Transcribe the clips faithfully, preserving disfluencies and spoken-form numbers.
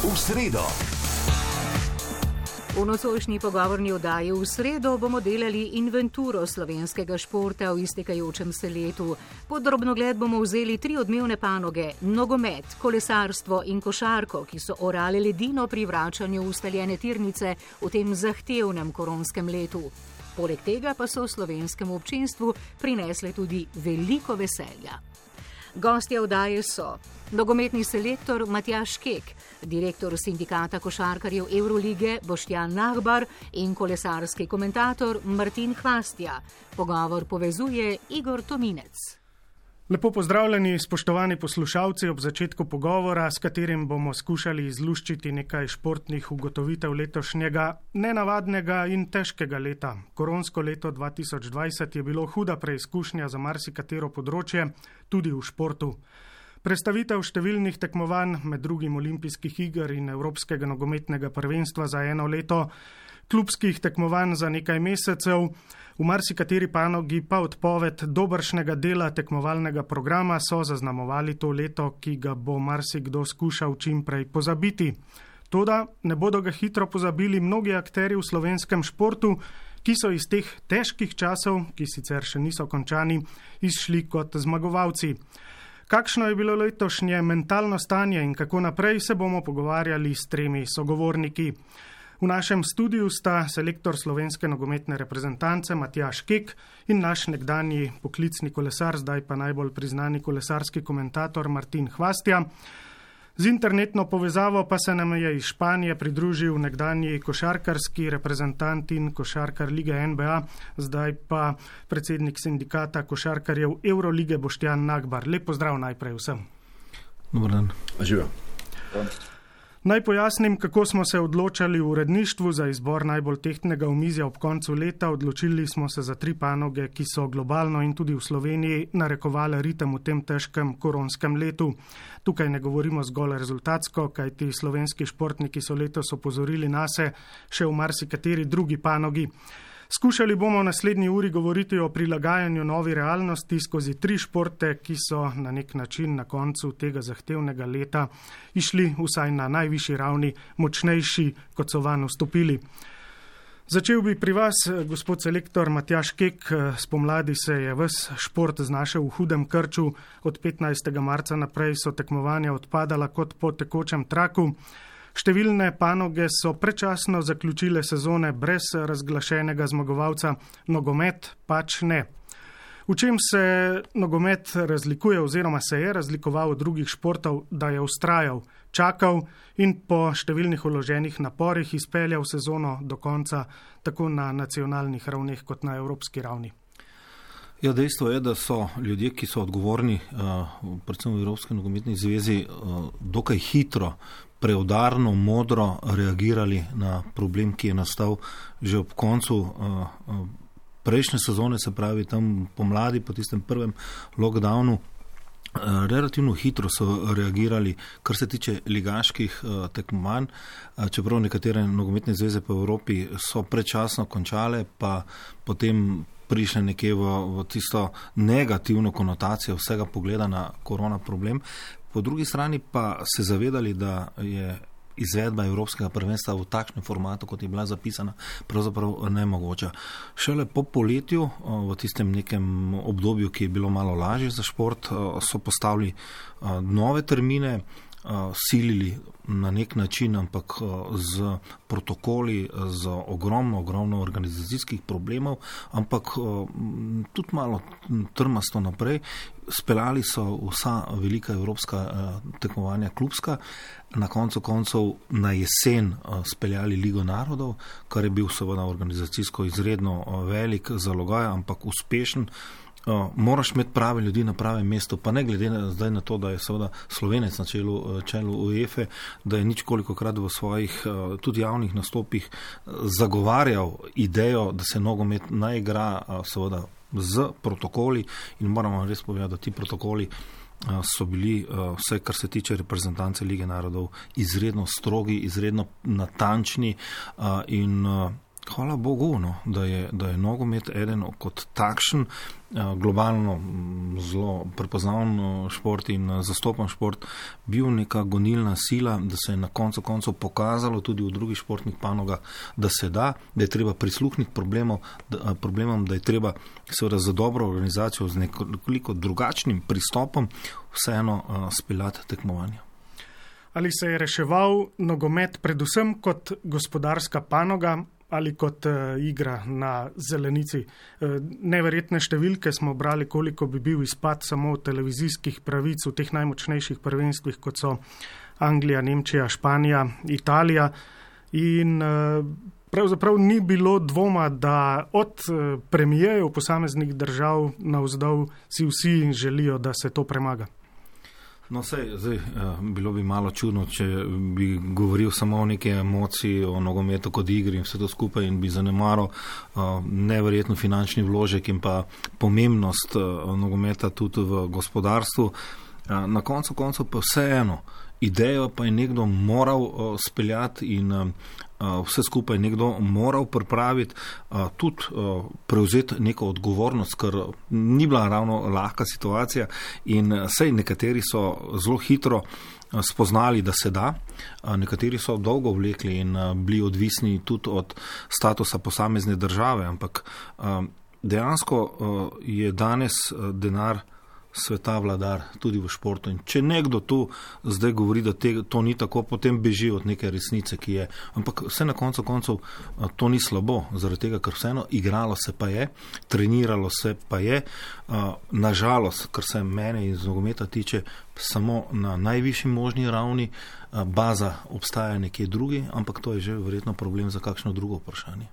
v sredo. V nocojšnji pogovorni oddaji v sredo bomo delali inventuro slovenskega športa v iztekajočem se letu. Pod drobnogled bomo vzeli tri odmevne panoge: nogomet, kolesarstvo in košarko, ki so orale ledino pri vračanju v ustaljene tirnice v tem zahtevnem koronskem letu. Poleg tega pa so slovenskemu občinstvu prinesle tudi veliko veselja. Gostje oddaje so nogometni selektor Matjaž Kek, direktor sindikata košarkarjev Evrolige Boštjan Nahbar in kolesarski komentator Martin Hvastija. Pogovor povezuje Igor Tominec. Lepo pozdravljeni, spoštovani poslušalci, ob začetku pogovora, s katerim bomo skušali izluščiti nekaj športnih ugotovitev letošnjega nenavadnega in težkega leta. Koronsko leto dva tisoč dvajset je bilo huda preizkušnja za marsikatero področje, tudi v športu. Predstavitev številnih tekmovanj, med drugim olimpijskih iger in evropskega nogometnega prvenstva za eno leto, klubskih tekmovanj za nekaj mesecev, v marsikateri panogi pa odpoved dobršnega dela tekmovalnega programa so zaznamovali to leto, ki ga bo marsikdo skušal čim prej pozabiti. Toda ne bodo ga hitro pozabili mnogi akterji v slovenskem športu, ki so iz teh težkih časov, ki sicer še niso končani, izšli kot zmagovalci. Kakšno je bilo letošnje mentalno stanje in kako naprej, se bomo pogovarjali s tremi sogovorniki. V našem studiu sta selektor slovenske nogometne reprezentance Matjaž Kek in naš nekdanji poklicni kolesar, zdaj pa najbolj priznani kolesarski komentator Martin Hvastija. Z internetno povezavo pa se nam je iz Španije pridružil nekdanji košarkarski reprezentant in košarkar lige N B A, zdaj pa predsednik sindikata košarkarjev Evrolige Boštjan Nahbar. Lep pozdrav najprej vsem. Dobar dan. Živijo. Naj pojasnim, kako smo se odločali v uredništvu za izbor najbolj tehtnega omizja ob koncu leta. Odločili smo se za tri panoge, ki so globalno in tudi v Sloveniji narekovale ritem v tem težkem koronskem letu. Tukaj ne govorimo zgolj rezultatsko, kajti slovenski športniki so letos opozorili nase še v marsikateri drugi panogi. Skušali bomo v naslednji uri govoriti o prilagajanju novi realnosti skozi tri športe, ki so na nek način na koncu tega zahtevnega leta išli vsaj na najvišji ravni, močnejši, kot so vanj vstopili. Začel bi pri vas, gospod selektor Matjaž Kek. Spomladi se je ves šport znašel v hudem krču. Od petnajstega marca naprej so tekmovanja odpadala kot po tekočem traku. Številne panoge so predčasno zaključile sezone brez razglašenega zmagovalca, nogomet pač ne. V čem se nogomet razlikuje oziroma se je razlikoval od drugih športov, da je vztrajal, čakal in po številnih vloženih naporih izpeljal sezono do konca tako na nacionalnih ravneh kot na evropski ravni? Ja, dejstvo je, da so ljudje, ki so odgovorni, predvsem v Evropski nogometni zvezi, dokaj hitro, preudarno, modro reagirali na problem, ki je nastal že ob koncu prejšnje sezone, se pravi tam pomladi, po tistem prvem lockdownu. Relativno hitro so reagirali, kar se tiče ligaških tekmovanj, čeprav nekatere nogometne zveze po Evropi so predčasno končale, pa potem prišle nekje v, v tisto negativno konotacijo vsega pogleda na korona problem. Po drugi strani pa se zavedali, da je izvedba evropskega prvenstva v takšnem formatu, kot je bila zapisana, pravzaprav nemogoča. Šele po poletju, v tistem nekem obdobju, ki je bilo malo lažje za šport, so postavili nove termine, silili na nek način, ampak z protokoli, z ogromno, ogromno organizacijskih problemov, ampak tudi malo trmasto naprej. Speljali so vsa velika evropska tekmovanja klubska, na koncu koncev na jesen speljali Ligo narodov, kar je bil seveda organizacijsko izredno velik zalogaj, ampak uspešen. Uh, moraš imeti prave ljudi na pravem mestu, pa ne glede na, zdaj na to, da je seveda Slovenec na čelu, čelu UEFA, da je ničkolikokrat v svojih uh, tudi javnih nastopih zagovarjal idejo, da se nogomet naj igra uh, seveda z protokoli, in moramo res povedati, da ti protokoli uh, so bili uh, vse, kar se tiče reprezentance Lige narodov, izredno strogi, izredno natančni uh, in uh, Hvala Bogu, no, da, je, da je nogomet eden kot takšen globalno zelo prepoznaven šport in zastopan šport bil neka gonilna sila, da se je na koncu koncev pokazalo tudi v drugih športnih panogah, da se da, da je treba prisluhniti problemov, da, problemom, da je treba seveda za dobro organizacijo z nekoliko drugačnim pristopom vseeno speljati tekmovanja. Ali se je reševal nogomet predvsem kot gospodarska panoga ali kot uh, igra na zelenici? Uh, neverjetne številke smo brali, koliko bi bil izpad samo televizijskih pravic v teh najmočnejših prvenstvih, kot so Anglija, Nemčija, Španija, Italija. In uh, pravzaprav ni bilo dvoma, da od uh, premijejev posameznih držav navzdol si vsi želijo, da se to premaga. No, sej, zdaj, bilo bi malo čudno, če bi govoril samo o neke emociji, o nogometu kot igri in vse to skupaj in bi zanemaral neverjetno finančni vložek in pa pomembnost nogometa tudi v gospodarstvu. Na koncu koncev pa vseeno, idejo pa je nekdo moral speljati in vse skupaj nekdo moral pripraviti, tudi prevzeti neko odgovornost, ker ni bila ravno lahka situacija in sej nekateri so zelo hitro spoznali, da se da, nekateri so dolgo vlekli in bili odvisni tudi od statusa posamezne države, ampak dejansko je danes denar sveta vladar tudi v športu. In če nekdo tu zdaj govori, da te, to ni tako, potem beži od neke resnice, ki je. Ampak vse na koncu koncev to ni slabo, zaradi tega, ker vseeno igralo se pa je, treniralo se pa je. Nažalost, kar se mene iz nogometa tiče, samo na najvišji možni ravni, baza obstaja nekje drugi, ampak to je že verjetno problem za kakšno drugo vprašanje.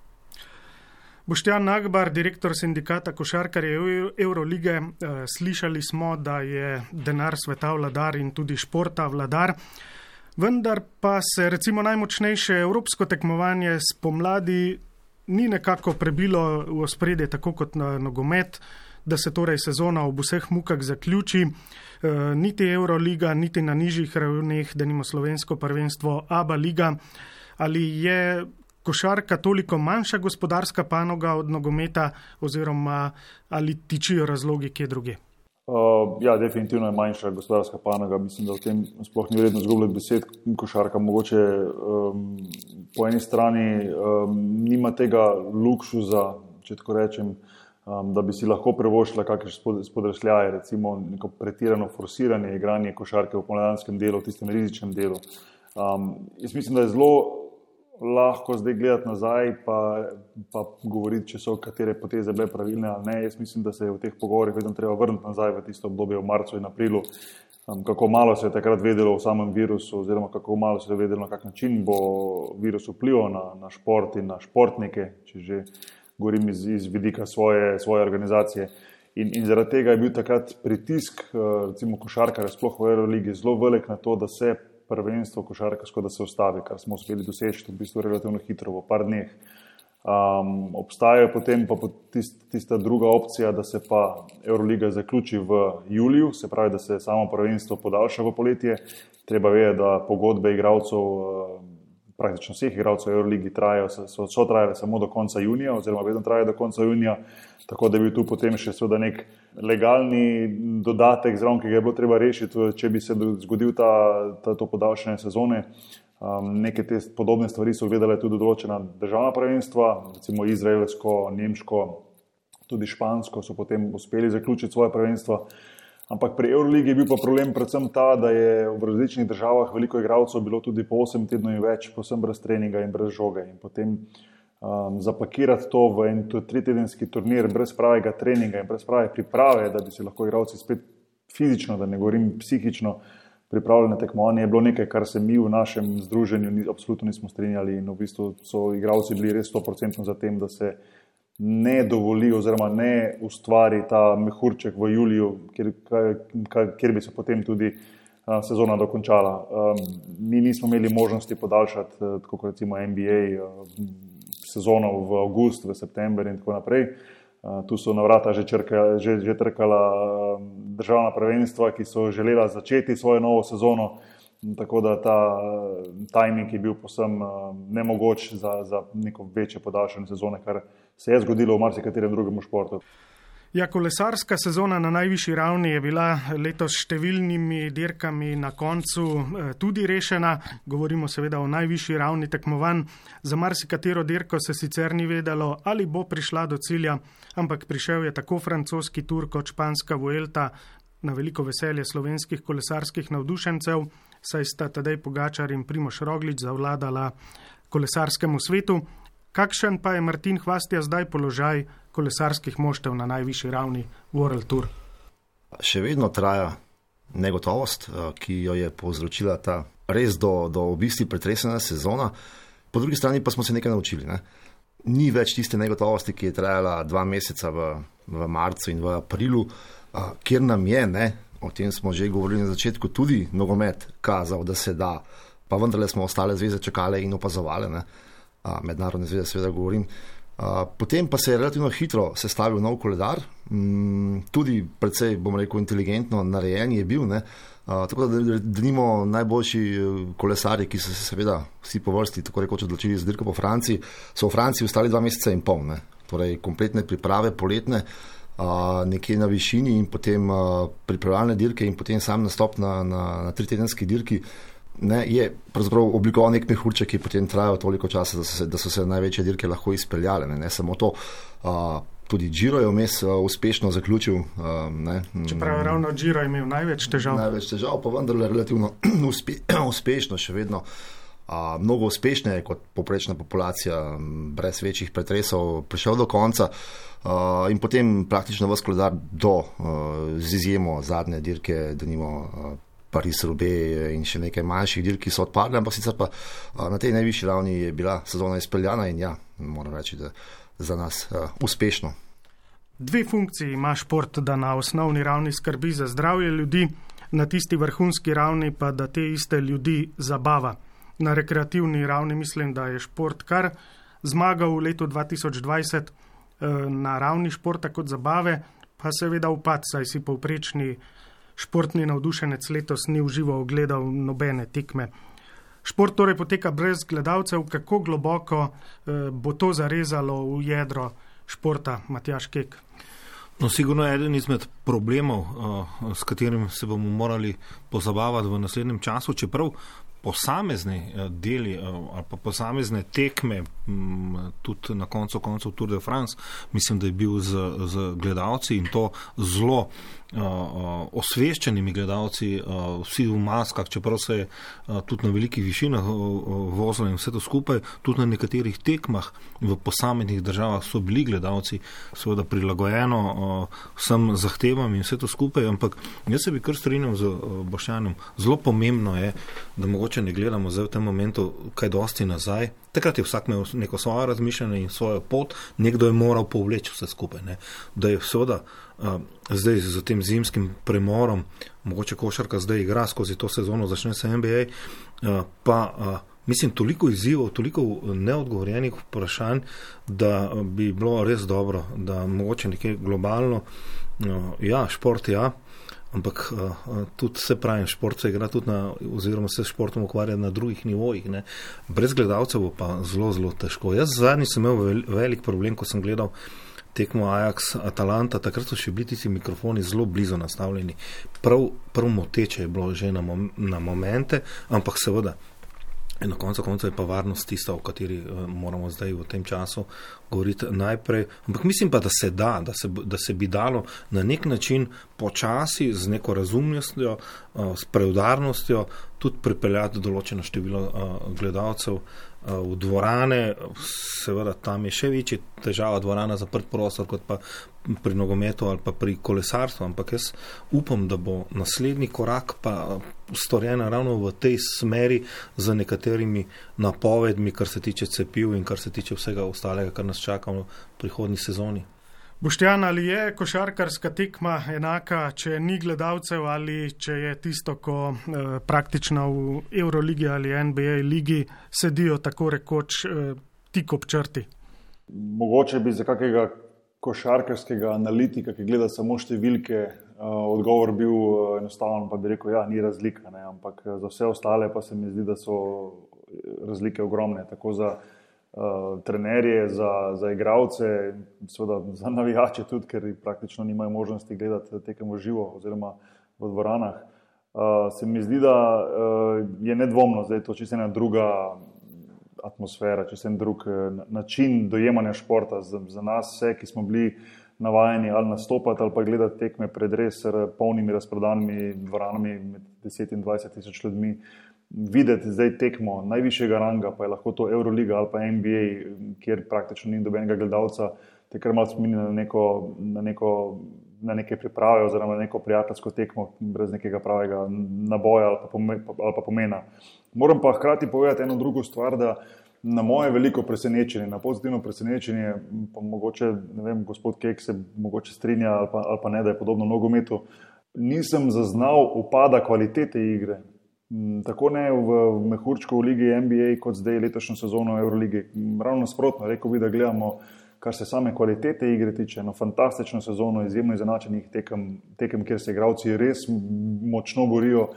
Boštjan Nagbar, direktor sindikata košarkarjev Eurolige, slišali smo, da je denar sveta vladar in tudi športa vladar, vendar pa se recimo najmočnejše evropsko tekmovanje spomladi ni nekako prebilo v ospredje tako kot na nogomet, da se torej sezona ob vseh mukah zaključi, niti Euroliga, niti na nižjih ravneh, denimo slovensko prvenstvo A B A liga. Ali je košarka toliko manjša gospodarska panoga od nogometa oziroma ali tičijo razlogi kje druge? Uh, ja, definitivno je manjša gospodarska panoga. Mislim, da v tem sploh ni vredno zgubljati besed. Košarka mogoče um, po eni strani um, nima tega luksuza, če tako rečem, um, da bi si lahko privoščila kakšne spodrsljaje, recimo neko pretirano forsiranje igranje košarke v pomladanskem delu, v tistem rizičnem delu. Um, jaz mislim, da je zelo lahko zdaj gledati nazaj pa, pa govoriti, če so katere poteze bile pravilne ali ne. Jaz mislim, da se je v teh pogovorih vedno treba vrniti nazaj v tisto obdobje v marcu in aprilu, um, kako malo se je takrat vedelo o samem virusu oziroma kako malo se je vedelo, na kak način bo virus vplival na, na šport in na športnike, če že govorim iz, iz vidika svoje, svoje organizacije. In, in zaradi tega je bil takrat pritisk, recimo košarkarja, sploh v Euroligi, zelo velik na to, da se prvenstvo košarkarsko, da se ustavi, kar smo uspeli doseči v bistvu relativno hitro, v par dneh. Um, obstajajo potem pa tist, tista druga opcija, da se pa Euroliga zaključi v juliju, se pravi, da se samo prvenstvo podaljša v poletje. Treba vedeti, da pogodbe igralcev, praktično vseh igralcev v Euroligi trajajo, so, so trajale samo do konca junija, oziroma vedno trajajo do konca junija, tako da bi tu potem še seveda nek legalni dodatek zraven, ki ga je bilo treba rešiti, če bi se zgodil ta, ta, to podaljšanje sezone. Um, neke te podobne stvari so gledale tudi določena državna prvenstva, recimo izraelsko, nemško, tudi špansko so potem uspeli zaključiti svoje prvenstva. Ampak pri Euroligi je bil pa problem predvsem ta, da je v različnih državah veliko igralcev bilo tudi po osem tednov in več, posem brez treninga in brez žoge. In potem um, zapakirati to v en tritedenski turnir brez pravega treninga in brez prave priprave, da bi se lahko igralci spet fizično, da ne govorim psihično, pripravljali na tekmovanje, je bilo nekaj, kar se mi v našem združenju ni, absolutno nismo strinjali in v bistvu so igralci bili res sto procentno za tem, da se ne dovoli oziroma ne ustvari ta mehurček v juliju, kjer, kjer bi se potem tudi a, sezona dokončala. Um, mi nismo imeli možnosti podaljšati, tako kot recimo N B A, a, sezono v avgust, v september in tako naprej. A, tu so na vrata že, črka, že, že trkala a, državna prvenstva, ki so želela začeti svojo novo sezono tako da ta timing je bil posem nemogoč za, za neko večje podaljšanje sezone, kar se je zgodilo v marsikaterem drugem športu. Ja, kolesarska sezona na najvišji ravni je bila letos s številnimi dirkami na koncu tudi rešena. Govorimo seveda o najvišji ravni tekmovanj. Za marsikatero dirko se sicer ni vedelo, ali bo prišla do cilja, ampak prišel je tako francoski Tour kot španska Vuelta na veliko veselje slovenskih kolesarskih navdušencev, saj sta Tadej Pogačar in Primož Roglič zavladala kolesarskemu svetu. Kakšen pa je Martin Hvastija zdaj položaj kolesarskih moštev na najvišji ravni World Tour? Še vedno traja negotovost, ki jo je povzročila ta res do, do v bistvu pretresena sezona. Po drugi strani pa smo se nekaj naučili. Ne? Ni več tiste negotovosti, ki je trajala dva meseca v, v marcu in v aprilu, kjer nam je, ne, o tem smo že govorili na začetku, tudi nogomet kazal, da se da, pa vendarle smo ostale zveze čakale in opazovale, ne? Mednarodne zveze seveda govorim. Potem pa se je relativno hitro sestavil nov koledar, tudi precej, bom rekel, inteligentno narejen je bil, ne? Tako da denimo najboljši kolesarji, ki so se seveda vsi po vrsti tako rekoč odločili za dirko po Franciji, so v Franciji ostali dva meseca in pol, ne? Torej kompletne priprave poletne, nekje na višini in potem pripravljalne dirke in potem sam nastop na, na, na tritedenski dirki. Ne, je pravzaprav oblikoval nek mehurček, ki potem trajal toliko časa, da so se, da so se največje dirke lahko izpeljale. Ne, ne samo to, uh, tudi Giro je vmes uh, uspešno zaključil. Uh, ne, Čeprav je ravno Giro imel največ težav. Največ težav, pa vendarle relativno uspe, uspešno še vedno. Uh, mnogo uspešneje kot poprečna populacija, brez večjih pretresov, prišel do konca uh, in potem praktično ves koledar do, uh, z izjemo zadnje dirke, denimo uh, Paris-Roubaix in še nekaj manjših dirk, ki so odpadle, ampak sicer pa na tej najvišji ravni je bila sezona izpeljana in ja, moram reči, da za nas uh, uspešno. Dve funkciji ima šport, da na osnovni ravni skrbi za zdravje ljudi, na tisti vrhunski ravni pa da te iste ljudi zabava. Na rekreativni ravni mislim, da je šport kar zmagal v letu dva tisoč dvajset, na ravni športa kot zabave, pa seveda upad, saj si povprečni športni navdušenec letos ni v živo ogledal nobene tekme. Šport torej poteka brez gledalcev. Kako globoko eh, bo to zarezalo v jedro športa, Matjaž Kek? No, sigurno je eden izmed problemov, uh, s katerim se bomo morali pozabavati v naslednjem času, čeprav posamezni uh, deli uh, ali pa posamezne tekme, um, tudi na koncu koncev Tour de France, mislim, da je bil z, z gledalci in to zelo Uh, uh, osveščenimi gledalci, uh, vsi v maskah, čeprav se je uh, tudi na velikih višinah uh, uh, vozilo in vse to skupaj, tudi na nekaterih tekmah v posameznih državah so bili gledalci seveda prilagojeno uh, vsem zahtevam in vse to skupaj, ampak jaz se bi kar strinjal z uh, Boštjanom. Zelo pomembno je, da mogoče ne gledamo zdaj v tem momentu kaj dosti nazaj. Takrat je vsak imel neko svoje razmišljanje in svojo pot, nekdo je moral povleči vse skupaj. Ne? Da je seveda uh, zdaj z tem zimskim premorom, mogoče košarka zdaj igra skozi to sezono, začne se N B A, uh, pa uh, mislim toliko izzivov, toliko neodgovorjenih vprašanj, da bi bilo res dobro, da mogoče nekaj globalno, uh, ja, šport ja, ampak uh, tudi se pravi, šport se igra tudi na, oziroma se športom ukvarja na drugih nivojih. Ne. Brez gledalcev bo pa zelo, zelo težko. Jaz zadnji sem imel vel, velik problem, ko sem gledal tekmo Ajax-Atalanta, takrat so še bili tisti mikrofoni zelo blizu nastavljeni. Prav, prav moteče je bilo že na, mom, na momente, ampak seveda na koncu konca je pa varnost tista, o kateri uh, moramo zdaj v tem času govoriti najprej. Ampak mislim pa, da se da, da se, da se bi dalo na nek način počasi z neko razumnostjo, uh, s preudarnostjo tudi pripeljati določeno število uh, gledalcev uh, v dvorane. Seveda tam je še večji težava dvorana zaprt prostor kot pa pri nogometu ali pa pri kolesarstvu, ampak jaz upam, da bo naslednji korak pa storjen ravno v tej smeri z nekaterimi napovedmi, kar se tiče cepiv in kar se tiče vsega ostalega, kar nas čaka v prihodnji sezoni. Boštjan, ali je košarkarska tekma enaka, če ni gledalcev ali če je tisto, ko eh, praktično v Euroligi ali N B A ligi sedijo tako rekoč eh, tik ob črti? Mogoče bi za kakega košarkarskega analitika, ki gleda samo številke, odgovor bil enostaven, pa bi rekel, ja, ni razlika, ne? Ampak za vse ostale pa se mi zdi, da so razlike ogromne, tako za uh, trenerje, za, za igralce, seveda za navijače tudi, ker praktično nimajo možnosti gledati tekem v živo oziroma v dvoranah. Uh, se mi zdi, da uh, je nedvomno, zdaj to čisto ena druga atmosfera, čisto en drug način dojemanja športa. Za, za nas vse, ki smo bili navajeni ali nastopati ali pa gledati tekme pred res polnimi razprodanimi dvoranami med deset in dvajset tisoč ljudmi, videti zdaj tekmo najvišjega ranga, pa je lahko to Euroliga ali pa N B A, kjer praktično ni dobenega gledalca, te kar malo spomni na neko, na neko, na neke priprave oziroma na neko prijateljsko tekmo brez nekega pravega naboja ali pa, pome, ali pa pomena. Moram pa hkrati povedati eno drugo stvar, da na moje veliko presenečenje, na pozitivno presenečenje, pa mogoče, ne vem, gospod Kek se mogoče strinja ali pa, ali pa ne, da je podobno nogometu, nisem zaznal upada kvalitete igre. Tako ne v mehurčku v ligi N B A kot zdaj letošnjo sezono Euroligi. Ravno nasprotno, rekel bi, da gledamo, kar se same kvalitete igre tiče, eno fantastično sezono, izjemno izenačenih tekem, tekem, kjer se igralci res močno borijo.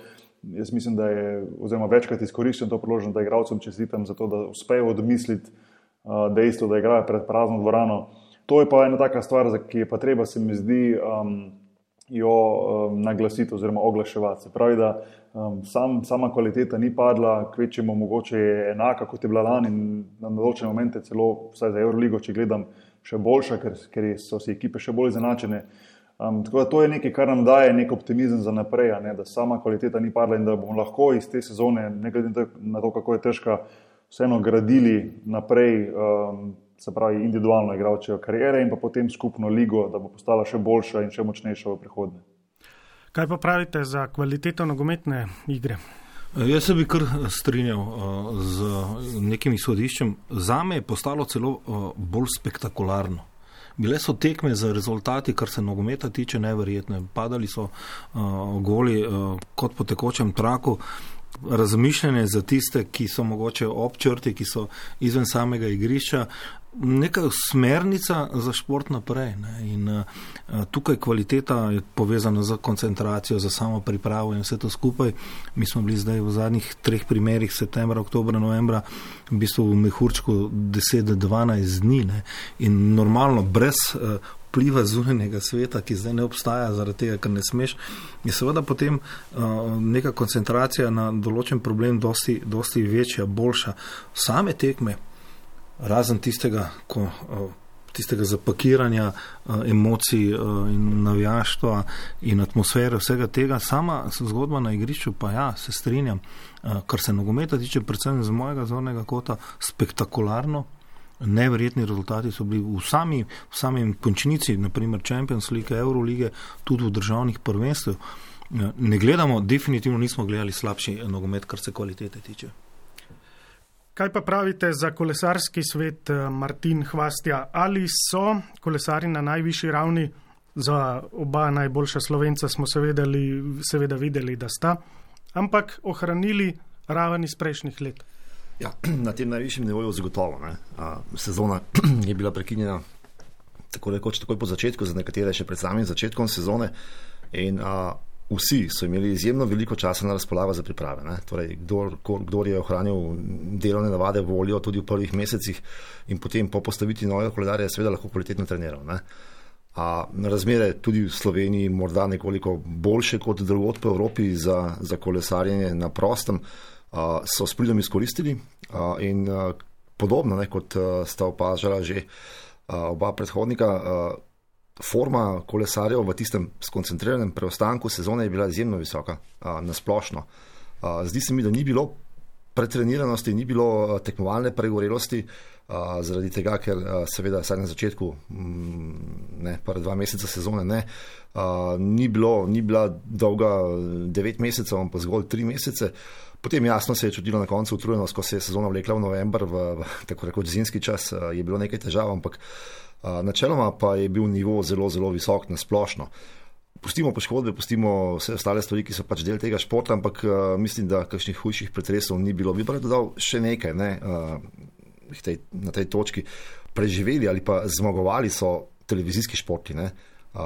Jaz mislim, da je, oziroma večkrat izkoriščam to priložnost, da igralcem čestitam za to, da uspejo odmisliti uh, dejstvo, da igrajo pred prazno dvorano. To je pa ena taka stvar, ki je pa treba, se mi zdi, um, jo um, naglasiti oziroma oglaševati. Se pravi, da um, sam, sama kvaliteta ni padla, kvečemo mogoče je enaka, kot je bila lani in na določene momente celo, vsaj za Euroligo, če gledam, še boljša, ker, ker so si ekipe še bolj izenačene. Um, tako da to je nekaj, kar nam daje nek optimizem za naprej, ne, da sama kvaliteta ni padla in da bomo lahko iz te sezone, ne glede na to, kako je težka, vseeno gradili naprej, um, se pravi individualno igralčevo kariere in pa potem skupno ligo, da bo postala še boljša in še močnejša v prihodnje. Kaj pa pravite za kvaliteto nogometne igre? Jaz se bi kar strinjal uh, z nekim izhodiščem. Zame je postalo celo uh, bolj spektakularno. Bile so tekme za rezultati, kar se nogometa tiče, neverjetne. Padali so uh, goli uh, kot po tekočem traku. Razmišljanje za tiste, ki so mogoče ob črti, ki so izven samega igrišča, neka smernica za šport naprej. Ne? In uh, tukaj kvaliteta je povezana z koncentracijo, za samo pripravo in vse to skupaj. Mi smo bili zdaj v zadnjih treh primerih, septembra, oktobra, novembra, v bistvu v mehurčku deset do dvanajst dni. Ne? In normalno, brez uh, vpliva zunanjega sveta, ki zdaj ne obstaja zaradi tega, ker ne smeš, je seveda potem uh, neka koncentracija na določen problem dosti, dosti večja, boljša. Same tekme, razen tistega, ko, uh, tistega zapakiranja uh, emocij uh, in navijaštva in atmosfere, vsega tega, sama zgodba na igrišču, pa ja, se strinjam, uh, kar se nogometa tiče, predvsem z mojega zornega kota, spektakularno. Neverjetni rezultati so bili v sami, v samem končnici, naprimer Champions League, Eurolige, tudi v državnih prvenstvih. Ne gledamo, definitivno nismo gledali slabši nogomet, kar se kvalitete tiče. Kaj pa pravite za kolesarski svet, Martin Hvastija? Ali so kolesari na najvišji ravni? Za oba najboljša Slovenca smo seveda, seveda videli, da sta, ampak ohranili raven iz prejšnjih let. Ja, na tem najvišjem nivoju zagotovo. Ne. A, sezona je bila prekinjena tako rekoč takoj po začetku, za nekatere še pred samim začetkom sezone in a, vsi so imeli izjemno veliko časa na razpolago za priprave. Ne. Torej, kdor, kdor je ohranil delovne navade, voljo tudi v prvih mesecih in potem po postavitvi novega koledarja je seveda lahko kvalitetno treniral. Ne. A, razmere tudi v Sloveniji morda nekoliko boljše kot drugod po Evropi za, za kolesarjenje na prostem, Uh, so s pridom izkoristili uh, in uh, podobno, ne, kot uh, sta opažala že uh, oba predhodnika, uh, forma kolesarjev v tistem skoncentriranem preostanku sezone je bila izjemno visoka, uh, nasplošno. Uh, zdi se mi, da ni bilo pretreniranosti, ni bilo uh, tekmovalne pregorelosti, uh, zaradi tega, ker uh, seveda vsaj na začetku, mm, ne, prva dva meseca sezone ne, uh, ni, bilo, ni bila dolga devet mesecev, ampak zgolj tri mesece. Potem jasno se je čutilo na koncu utrujenost, ko se je sezona vlekla v november, v, v tako rekoč zimski čas, je bilo nekaj težav, ampak načeloma pa je bil nivo zelo, zelo visok na splošno. Pustimo poškodbe, pustimo vse ostale stvari, ki so pač del tega športa, ampak mislim, da kakšnih hujših pretresov ni bilo. Bi pa dodal še nekaj, ne, tej, na tej točki. Preživeli ali pa zmagovali so televizijski športi, ne,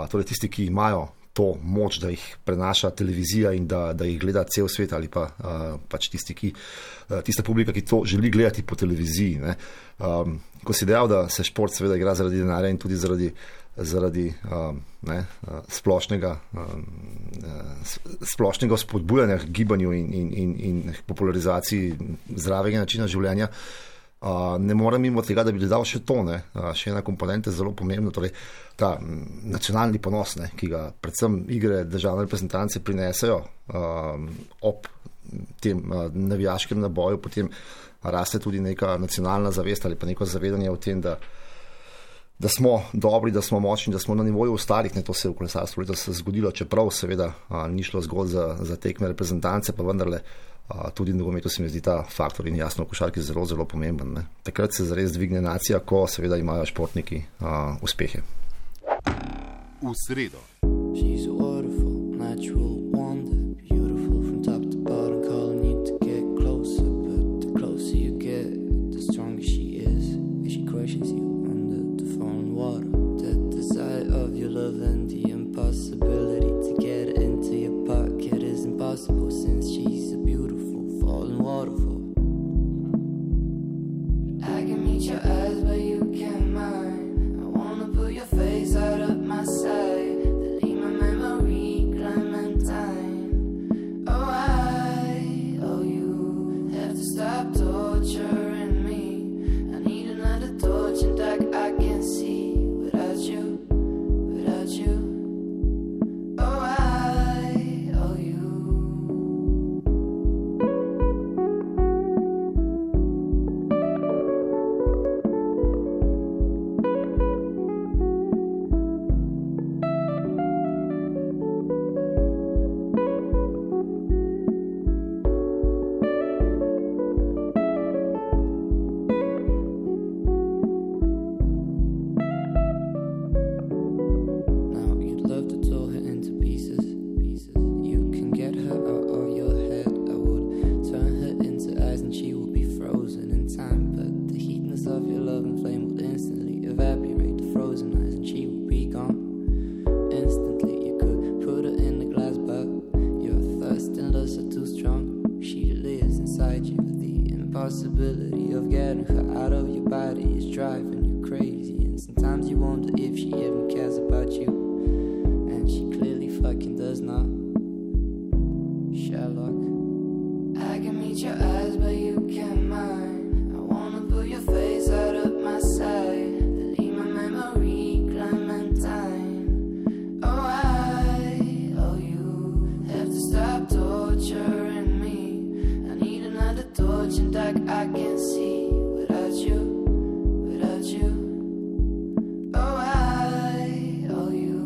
torej tisti, ki imajo to moč, da jih prenaša televizija in da, da jih gleda cel svet ali pa uh, pač tisti, ki, uh, tista publika, ki to želi gledati po televiziji. Ne. Um, ko si dejal, da se šport seveda igra zaradi denarja in tudi zaradi, zaradi um, ne, uh, splošnega, um, uh, splošnega spodbujanja k gibanju in, in, in, in popularizaciji zdravega načina življenja, Uh, ne morem mimo tega, da bi dodal še to, ne? Uh, še ena komponenta je zelo pomembna, torej ta m, nacionalni ponos, ne? Ki ga predvsem igre državne reprezentance prinesejo uh, ob tem uh, navijaškem naboju, potem raste tudi neka nacionalna zavest ali pa neko zavedanje o tem, da, da smo dobri, da smo močni, da smo na nivoju ostalih. Ne? To se je v kolesarstvu letos zgodilo, čeprav seveda uh, ni šlo zgolj za, za tekme reprezentance, pa vendarle Uh, tudi v nogometu se mi zdi ta faktor in jasno v košarki zelo, zelo pomemben. Ne. Takrat se zares dvigne nacija, ko seveda imajo športniki uh, uspehe. V sredo. She's a waterfall, natural wonder, beautiful from top to bottom, calling you to get closer, but the closer you get, the stronger she is, as she questions you under the falling water. The desire of your love and the impossibility to get it into your pocket is impossible, since she's a falling waterfall. I can meet your eyes, but you can't mine. I wanna put your face out of my sight, delete my memory, Clementine. Oh, I, oh, you have to stop torturing me. I need another torch and dark I can see without you, without you. Oh, I, oh, you. Possibility of getting her out of your body is driving you crazy, and sometimes you wonder if she even cares about you, and she clearly fucking does not. Sherlock, I can meet your eyes, but you can't mine. I wanna put your face out of my sight, delete my memory, Clementine. Oh, I, oh, you have to stop torturing me. I need another torch and dark I can see without you, without you. Oh, I, oh, you.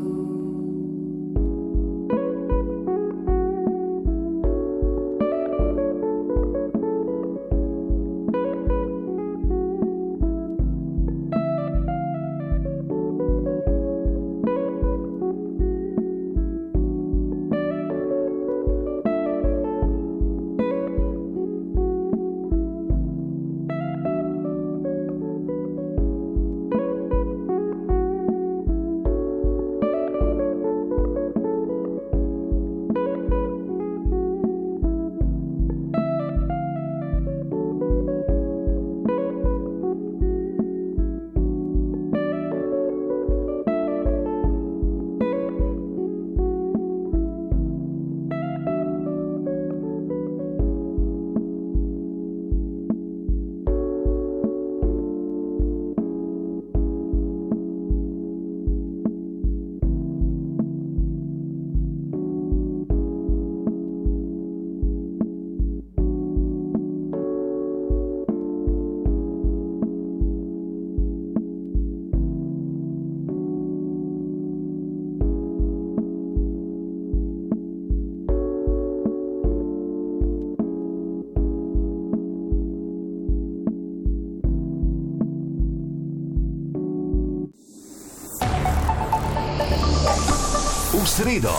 V sredo.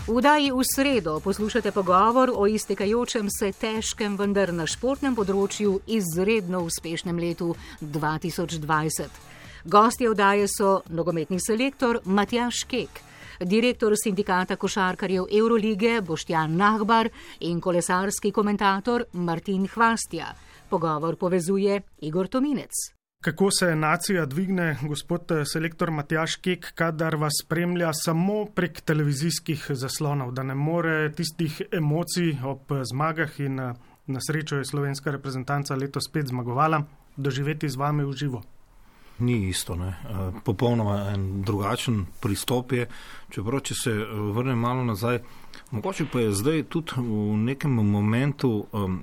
V vdaji v sredo poslušate pogovor o iztekajočem se težkem, vendar na športnem področju izredno uspešnem letu dva tisoč dvajset. Gostje oddaje so nogometni selektor Matjaž Kek, direktor sindikata košarkarjev Evrolige Boštjan Nahbar in kolesarski komentator Martin Hvastija. Pogovor povezuje Igor Tominec. Kako se nacija dvigne, gospod selektor Matjaž Kek, kadar vas spremlja samo prek televizijskih zaslonov, da ne more tistih emocij ob zmagah in na srečo je slovenska reprezentanca letos spet zmagovala, doživeti z vami v živo? Ni isto, ne. Popolnoma en drugačen pristop je, čeprav če se vrnem malo nazaj, mogoče pa je zdaj tudi v nekem momentu um,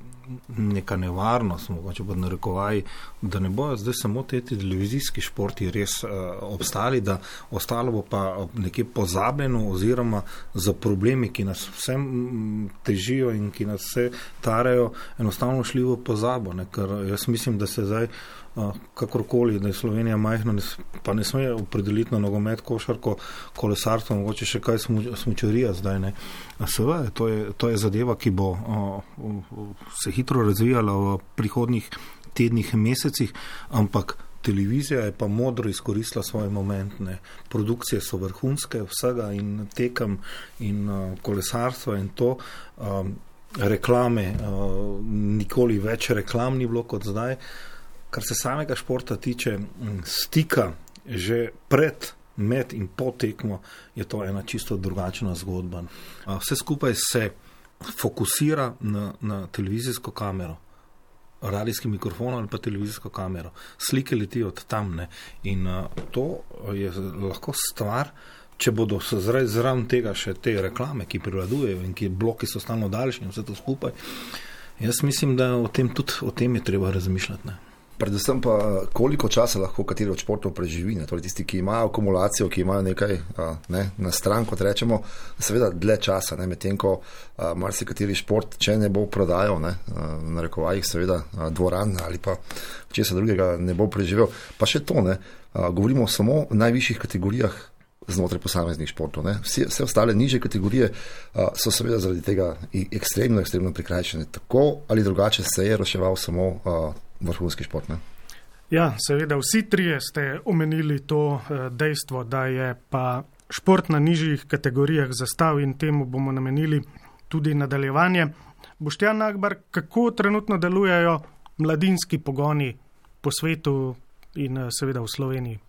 neka nevarnost, mogoče pa narekovaj, da ne bojo zdaj samo te televizijski športi res uh, obstali, da ostalo bo pa nekje pozabljeno oziroma za problemi, ki nas vsem težijo in ki nas vse tarajo, enostavno šli v pozabo, ne, ker jaz mislim, da se zdaj kakorkoli, da je Slovenija majhna, pa ne sme opredeliti na nogomet, košarko, kolesarstvo, mogoče še kaj smučarija zdaj, ne. Seveda, to je, to je zadeva, ki bo o, o, se hitro razvijala v prihodnjih tednih, mesecih, ampak televizija je pa modro izkoristila svoj moment, ne. Produkcije so vrhunske vsega in tekem in uh, kolesarstva in to, um, reklame, uh, nikoli več reklam ni bilo kot zdaj. Kar se samega športa tiče, stika že pred, med in po tekmo, je to ena čisto drugačna zgodba. Vse skupaj se fokusira na, na televizijsko kamero, radijski mikrofon ali pa televizijsko kamero. Slike letijo od tam, ne. In uh, to je lahko stvar, če bodo zraven tega še te reklame, ki prevladujejo in ki bloki so stalno daljši in vse to skupaj. Jaz mislim, da o tem tudi o tem je treba razmišljati, ne. Predvsem pa, koliko časa lahko kateri od športov preživi, ne? Torej tisti, ki imajo akumulacijo, ki imajo nekaj ne, na stran, kot rečemo, seveda dlje časa, ne? Medtem ko marsikateri šport, če ne bo prodajal, ne, v narekovajih seveda dvoran ali pa česa drugega ne bo preživel, pa še to, ne, govorimo samo o najvišjih kategorijah znotraj posameznih športov, ne. Vse, vse ostale nižje kategorije so seveda zaradi tega ekstremno, ekstremno prikrajšane. Tako ali drugače se je reševal samo vrhunski šport, ne? Ja, seveda, vsi trije ste omenili to dejstvo, da je pa šport na nižjih kategorijah zastal in temu bomo namenili tudi nadaljevanje. Boštjan Nahbar, kako trenutno delujejo mladinski pogoni po svetu in seveda v Sloveniji?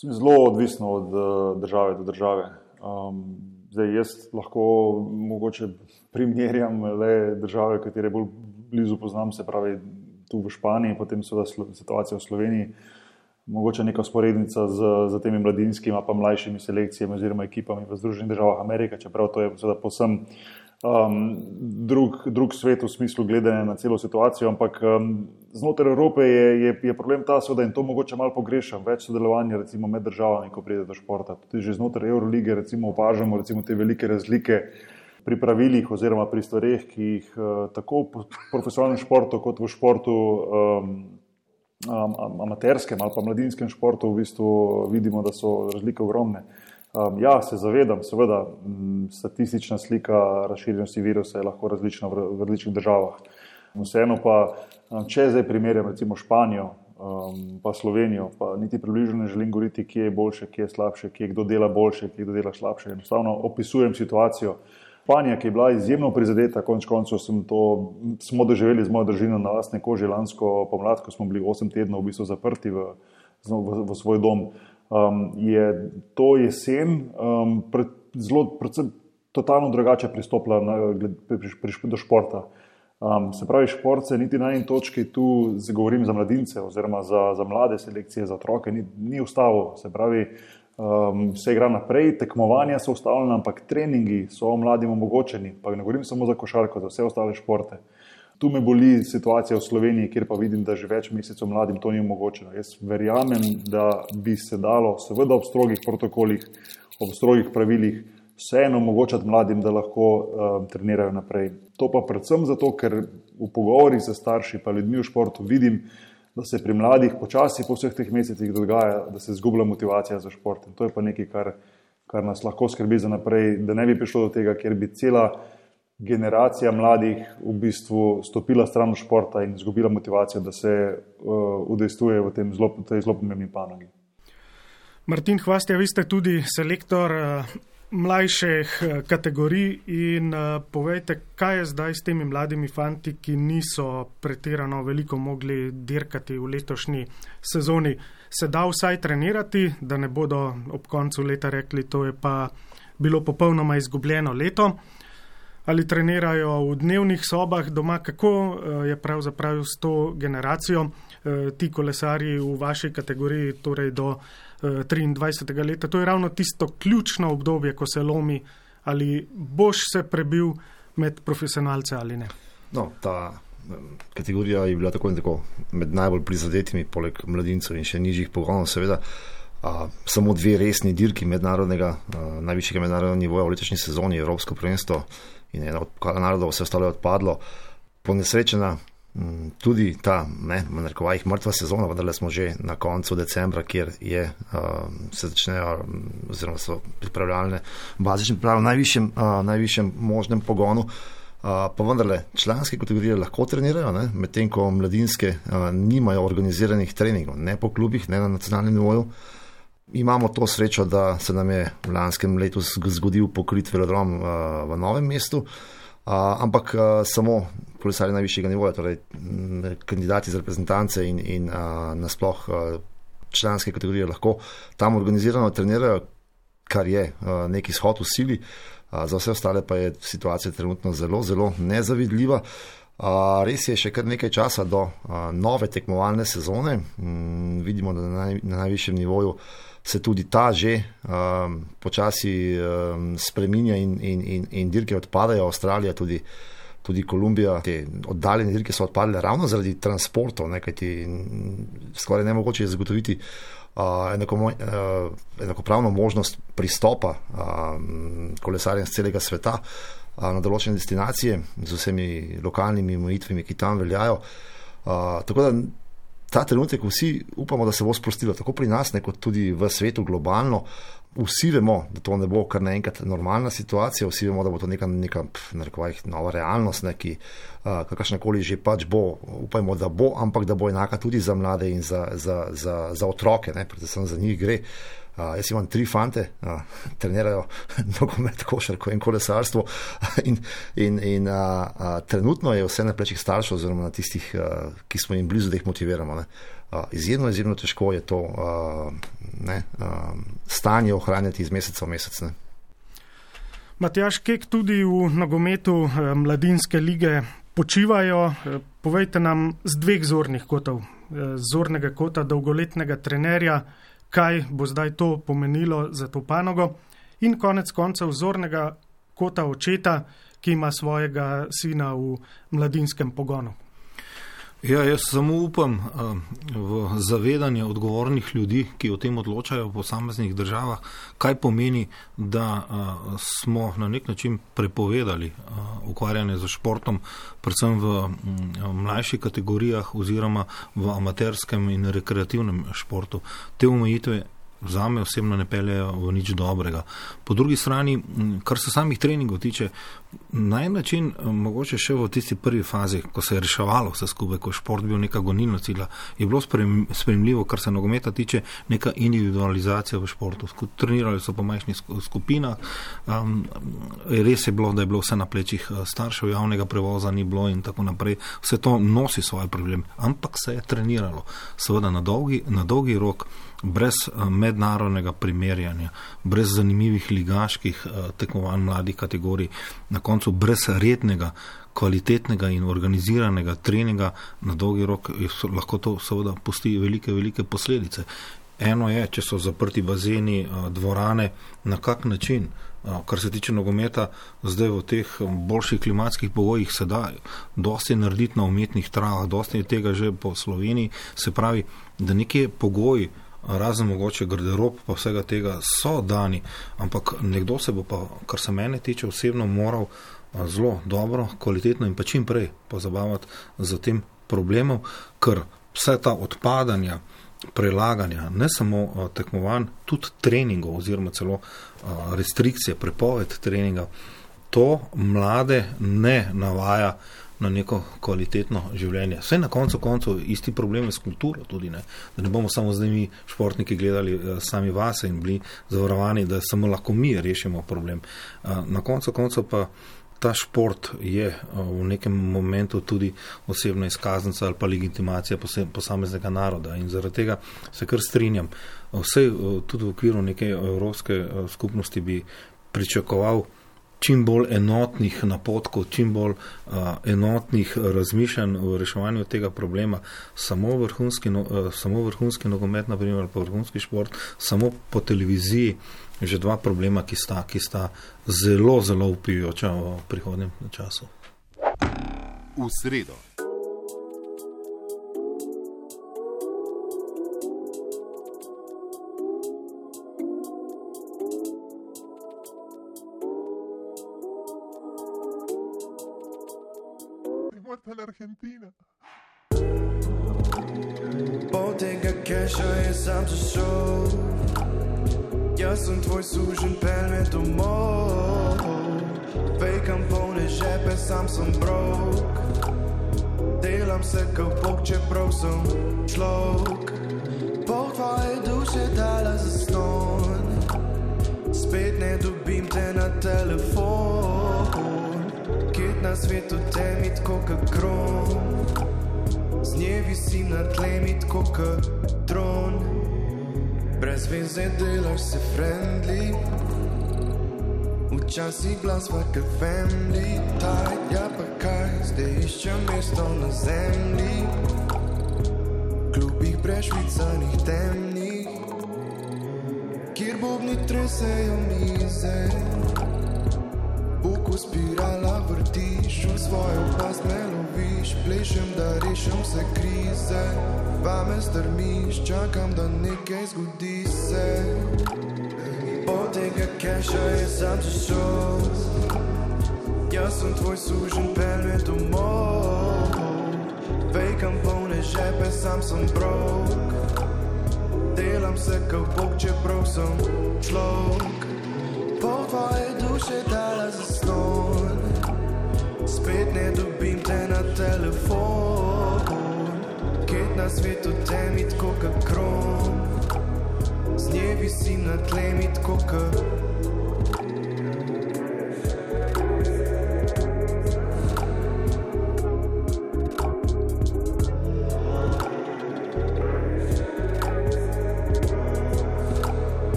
Zelo odvisno od države do države. Um, zdaj jaz lahko mogoče primerjam le države, katere bolj blizu poznam, se pravi tu v Španiji, potem seveda situacija v Sloveniji, mogoče neka sporednica z, z temi mladinskimi pa mlajšimi selekcijami oziroma ekipami v Združenih državah Amerike, čeprav to je seveda povsem um, drug, drug svet v smislu gledanja na celo situacijo, ampak um, znotraj Evrope je, je, je problem ta seveda in to mogoče malo pogrešam, več sodelovanja recimo med državami, ko pride do športa. Tudi že znotraj Evrolige recimo opažamo recimo te velike razlike pri pravilih oziroma pri stvareh, ki jih uh, tako v profesionalnem športu kot v športu um, um, amaterskem ali pa mladinskem športu v bistvu vidimo, da so razlike ogromne. Um, ja, se zavedam, seveda, m, statistična slika razširjenosti virusa je lahko različna v, v različnih državah. Vseeno pa, če zdaj primerjam recimo Španijo um, pa Slovenijo, pa niti približno ne želim govoriti, kje je boljše, kje je slabše, kje kdo dela boljše, kje kdo dela slabše. Enostavno opisujem situacijo. Španija, ki je bila izjemno prizadeta, konec koncev sem to, smo doživeli z mojo družino na lastne koži lansko pomlad, ko smo bili osem tednov v bistvu zaprti v, v, v svoj dom, um, je to jesen um, pred, zelo, predvsem totalno drugače pristopila na, pri, pri, do športa. Um, se pravi, šport se niti na eni točki, tu govorim za mladince oziroma za, za mlade selekcije, za otroke, ni, ni ustavil. Se pravi, Um, se igra naprej, tekmovanja so ustavljena, ampak treningi so mladim omogočeni, pa ne govorim samo za košarko, za vse ostale športe. Tu me boli situacija v Sloveniji, kjer pa vidim, da že več mesecev mladim to ni omogočeno. Jaz verjamem, da bi se dalo, seveda ob strogih protokolih, ob strogih pravilih, vseeno omogočati mladim, da lahko um, trenirajo naprej. To pa predvsem zato, ker v pogovorih s starši pa ljudmi v športu vidim, da se pri mladih počasi po vseh teh mesecih dogaja, da se izgublja motivacija za šport. In to je pa nekaj, kar, kar nas lahko skrbi za naprej, da ne bi prišlo do tega, kjer bi cela generacija mladih v bistvu stopila stran od športa in izgubila motivacijo, da se uh, udejstvuje v tem zelo, tej zelo pomembni panogi. Martin Hvastija, vi ste tudi selektor mlajših kategorij in povejte, kaj je zdaj s temi mladimi fanti, ki niso pretirano veliko mogli dirkati v letošnji sezoni. Se da vsaj trenirati, da ne bodo ob koncu leta rekli, to je pa bilo popolnoma izgubljeno leto? Ali trenirajo v dnevnih sobah doma? Kako je pravzaprav s to generacijo? Ti kolesarji v vaši kategoriji, torej do triindvajsetega leta, to je ravno tisto ključno obdobje, ko se lomi, ali boš se prebil med profesionalce ali ne? No, ta kategorija je bila tako in tako med najbolj prizadetimi, poleg mladincev in še nižjih pogonov, seveda. A, samo dve resni dirki mednarodnega, a, najvišjega mednarodnega nivoja v letošnji sezoni, Evropsko prvenstvo in ena od pokala narodov, vse ostalo je odpadlo. Ponesrečena m, tudi ta, ne, v narekovajih mrtva sezona, vendar smo že na koncu decembra, kjer je, a, se začnejo, oziroma so pripravljalne bazične priprave v najvišjem, a, najvišjem možnem pogonu. A, pa vendarle, članske kategorije lahko trenirajo, ne, medtem ko mladinske a, nimajo organiziranih treningov, ne po klubih, ne na nacionalnem nivoju. Imamo to srečo, da se nam je v lanskem letu zgodil pokrit velodrom uh, v Novem mestu, uh, ampak uh, samo kolesarji najvišjega nivoja, torej m, kandidati za reprezentance in, in uh, nasploh uh, članske kategorije lahko tam organizirano trenirajo, kar je uh, neki shod v sili. Uh, za vse ostale pa je situacija trenutno zelo, zelo nezavidljiva. Uh, res je še kar nekaj časa do uh, nove tekmovalne sezone. Mm, vidimo, da na, naj, na najvišjem nivoju se tudi ta že um, počasi um, spreminja in, in, in, in dirke odpadajo. Avstralija, tudi, tudi Kolumbija, te oddaljene dirke so odpadle ravno zaradi transportov, ne, kajti skoraj nemogoče je zagotoviti uh, enako, uh, enakopravno možnost pristopa uh, kolesarjem z celega sveta uh, na določene destinacije z vsemi lokalnimi omejitvami, ki tam veljajo. Uh, tako da ta trenutek vsi upamo, da se bo sprostilo, tako pri nas, ne, kot tudi v svetu globalno. Vsi vemo, da to ne bo kar naenkrat normalna situacija, vsi vemo, da bo to neka, neka narekovajih nova realnost, ne, ki uh, kakršnakoli že pač bo, upajmo, da bo, ampak da bo enaka tudi za mlade in za, za, za, za otroke, ne, predvsem za njih gre. Uh, jaz imam tri fante, uh, trenirajo nogomet, košarko in kolesarstvo in, in, in uh, uh, trenutno je vse na plečih staršev oziroma na tistih, uh, ki smo jim blizu, da jih motiviramo. Ne. Uh, izjemno, izjemno težko je to uh, ne, uh, stanje ohranjati iz meseca v mesec. Ne. Matjaž Kek, tudi v nogometu uh, mladinske lige počivajo. Uh, povejte nam z dveh zornih kotov, uh, zornega kota dolgoletnega trenerja, kaj bo zdaj to pomenilo za to panogo, in konec koncev zornega kota očeta, ki ima svojega sina v mladinskem pogonu. Ja, jaz samo upam v zavedanje odgovornih ljudi, ki o tem odločajo v posameznih državah, kaj pomeni, da smo na nek način prepovedali ukvarjanje z športom, predvsem v mlajših kategorijah oziroma v amaterskem in rekreativnem športu. Te omejitve zame osebno ne peljejo v nič dobrega. Po drugi strani, kar se samih treningov tiče, na en način mogoče še v tisti prvi fazi, ko se je reševalo vse skupaj, ko je šport bil neka gonilna sila, je bilo sprejemljivo, kar se nogometa tiče, neka individualizacija v športu. Trenirali so po majhnih skupinah, um, res je bilo, da je bilo vse na plečih staršev, javnega prevoza ni bilo in tako naprej. Vse to nosi svoj problem, ampak se je treniralo. Seveda na dolgi, na dolgi rok, brez mednarodnega primerjanja, brez zanimivih ligaških tekmovanj mladih kategorij, na koncu brez rednega, kvalitetnega in organiziranega treninga, na dolgi rok lahko to seveda pusti velike, velike posledice. Eno je, če so zaprti bazeni, dvorane, na kak način, kar se tiče nogometa, zdaj v teh boljših klimatskih pogojih se da dosti narediti na umetnih travah, dosti tega že po Sloveniji, se pravi, da nekje pogoji, razen mogoče garderob pa vsega tega so dani, ampak nekdo se bo pa, kar se mene tiče osebno, moral zelo dobro, kvalitetno in pa čim prej pozabavati za tem problemom, ker vse ta odpadanja, prelaganja, ne samo tekmovanj, tudi treningov oziroma celo restrikcije, prepoved treninga, to mlade ne navaja na neko kvalitetno življenje. Vse na koncu koncu isti problem je s kulturo tudi, ne? Da ne bomo samo zdaj mi športniki gledali sami vase in bili zavarovani, da samo lahko mi rešimo problem. Na koncu koncu pa ta šport je v nekem momentu tudi osebna izkaznica ali pa legitimacija posameznega naroda in zaradi tega se kar strinjam. Vse tudi v okviru neke evropske skupnosti bi pričakoval čim bolj enotnih napotkov, čim bolj uh, enotnih razmišljanj v reševanju tega problema. Samo vrhunski, no, uh, samo vrhunski nogomet, na primer, ali pa vrhunski šport, samo po televiziji že dva problema, ki sta, ki sta zelo, zelo vpijoča v prihodnjem času. V sredo. Argentina. Pol tega keša je sam se šel, jaz sem tvoj sužen, pel me domov. Fejkam polne žepe, sam sem brok, delam se kot bog, čeprav sem človek. Pol tvoje duše dala za ston, spet ne dobim te na telefon. Kjet na svetu temi tko ka kron, z nje visim na tlemi tko ka dron. Brez veze delaš se friendly, včasih glas vaka family tight. Ja pa kaj, zdaj iščem mesto na zemlji, klubih prešvicanih temnih, kjer bobni tresejo mize. Oko spirala vrtiš, v svojo past me loviš, plešem da rešim se krize, vame strmiš, čakam da nekaj zgodi se. Od tega keša je sam se šel, jaz sem tvoj sužen, pel me domov. Fejkam polne žepe, sam sem brok, delam se kot bog, čeprav sem človek. Pol tvoje duše dala za ston, spet ne dobim te na telefon. Kjet na svetu temi tko ka kron, z nje visim na tlemi tko ka.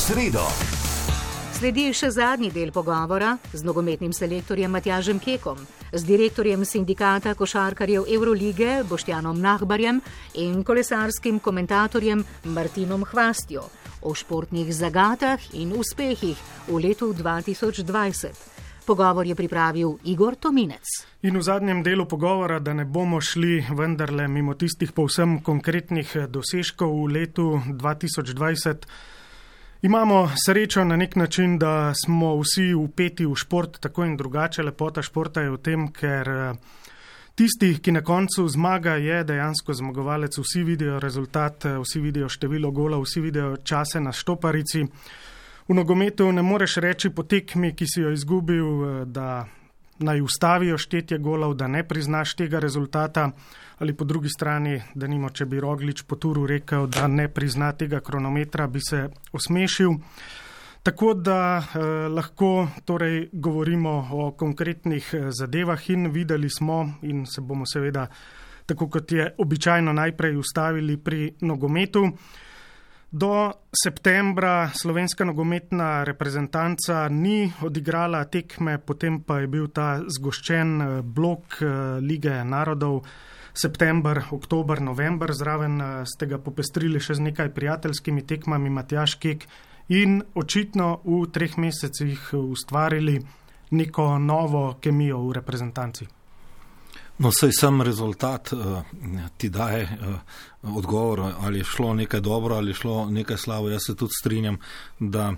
Sredo. Sledi še zadnji del pogovora z nogometnim selektorjem Matjažem Kekom, z direktorjem sindikata košarkarjev Evrolige Boštjanom Nahbarjem in kolesarskim komentatorjem Martinom Hvastjo o športnih zagatah in uspehih v letu dva tisoč dvajset. Pogovor je pripravil Igor Tominec. In v zadnjem delu pogovora, da ne bomo šli vendarle mimo tistih povsem konkretnih dosežkov v letu dva tisoč dvajset, imamo srečo na nek način, da smo vsi vpeti v šport, tako in drugače. Lepota športa je v tem, ker tisti, ki na koncu zmaga, je dejansko zmagovalec. Vsi vidijo rezultat, vsi vidijo število gola, vsi vidijo čase na štoparici. V nogometu ne moreš reči po tekmi, ki si jo izgubil, da naj ustavijo štetje golov, da ne priznaš tega rezultata, ali po drugi strani, da nimo, če bi Roglič po turu rekel, da ne prizna tega kronometra, bi se osmešil. Tako da eh, lahko torej govorimo o konkretnih zadevah in videli smo in se bomo seveda, tako kot je običajno, najprej ustavili pri nogometu. Do septembra slovenska nogometna reprezentanca ni odigrala tekme, potem pa je bil ta zgoščen blok Lige narodov, september, oktober, november, zraven ste ga popestrili še z nekaj prijateljskimi tekmami, Matjaž Kek, in očitno v treh mesecih ustvarili neko novo kemijo v reprezentanci. No, saj sam rezultat uh, ti daje uh, odgovor, ali je šlo nekaj dobro, ali je šlo nekaj slabo. Jaz se tudi strinjam, da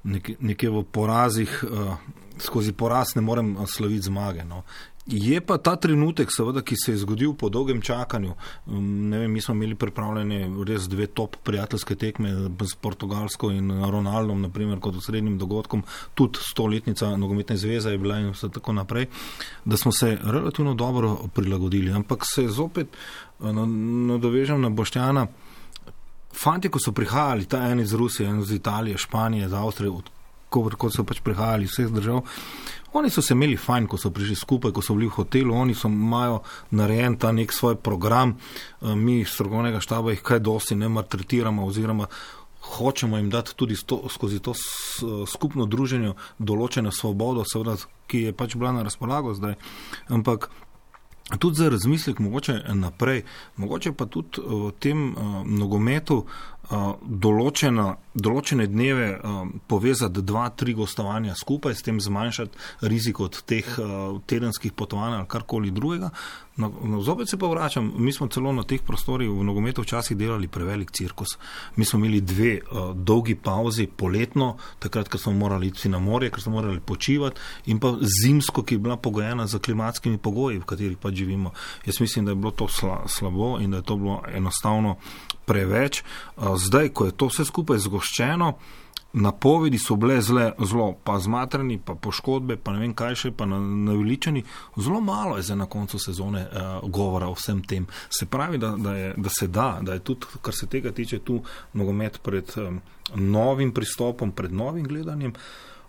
nek, nekje v porazih, uh, skozi poraz ne morem slaviti zmage. No. Je pa ta trenutek, seveda, ki se je zgodil po dolgem čakanju. Ne vem, mi smo imeli pripravljene res dve top prijateljske tekme s Portugalsko in Ronaldom, naprimer, kot osrednjim dogodkom, tudi stoletnica nogometne zveze je bila in vse tako naprej, da smo se relativno dobro prilagodili. Ampak se zopet nadovežem na Boštjana. Fantje, ko so prihajali, ta en iz Rusije, en iz Italije, Španije, iz Avstrije, kot so pač prihajali vseh držav, oni so se imeli fajn, ko so prišli skupaj, ko so bili v hotelu, oni so imajo narejen ta nek svoj program, mi iz strokovnega štaba jih kaj dosti ne maltretiramo oziroma hočemo jim dati tudi sto, skozi to skupno druženje določeno svobodo, seveda, ki je pač bila na razpolago zdaj, ampak tudi za razmislek mogoče naprej, mogoče pa tudi v tem uh, nogometu uh, določena, določene dneve uh, povezati dva, tri gostovanja skupaj, s tem zmanjšati rizik od teh uh, tedenskih potovanj ali karkoli drugega. No, no, zopet se pa vračam, mi smo celo na teh prostorih v nogometu včasih delali prevelik cirkus. Mi smo imeli dve uh, dolgi pauzi poletno, takrat, ker smo morali iti na morje, ker smo morali počivati, in pa zimsko, ki je bila pogojena za klimatskimi pogoji, v katerih pa živimo. Jaz mislim, da je bilo to sla, slabo in da je to bilo enostavno preveč. Uh, zdaj, ko je to vse skupaj zgoščeno, napovedi so bile zle, zelo, pa zmatrani, pa poškodbe, pa ne vem kaj še, pa naveličani. Zelo malo je zdaj na koncu sezone uh, govora o vsem tem. Se pravi, da, da, je, da se da, da je tudi, kar se tega tiče, tu nogomet pred um, novim pristopom, pred novim gledanjem.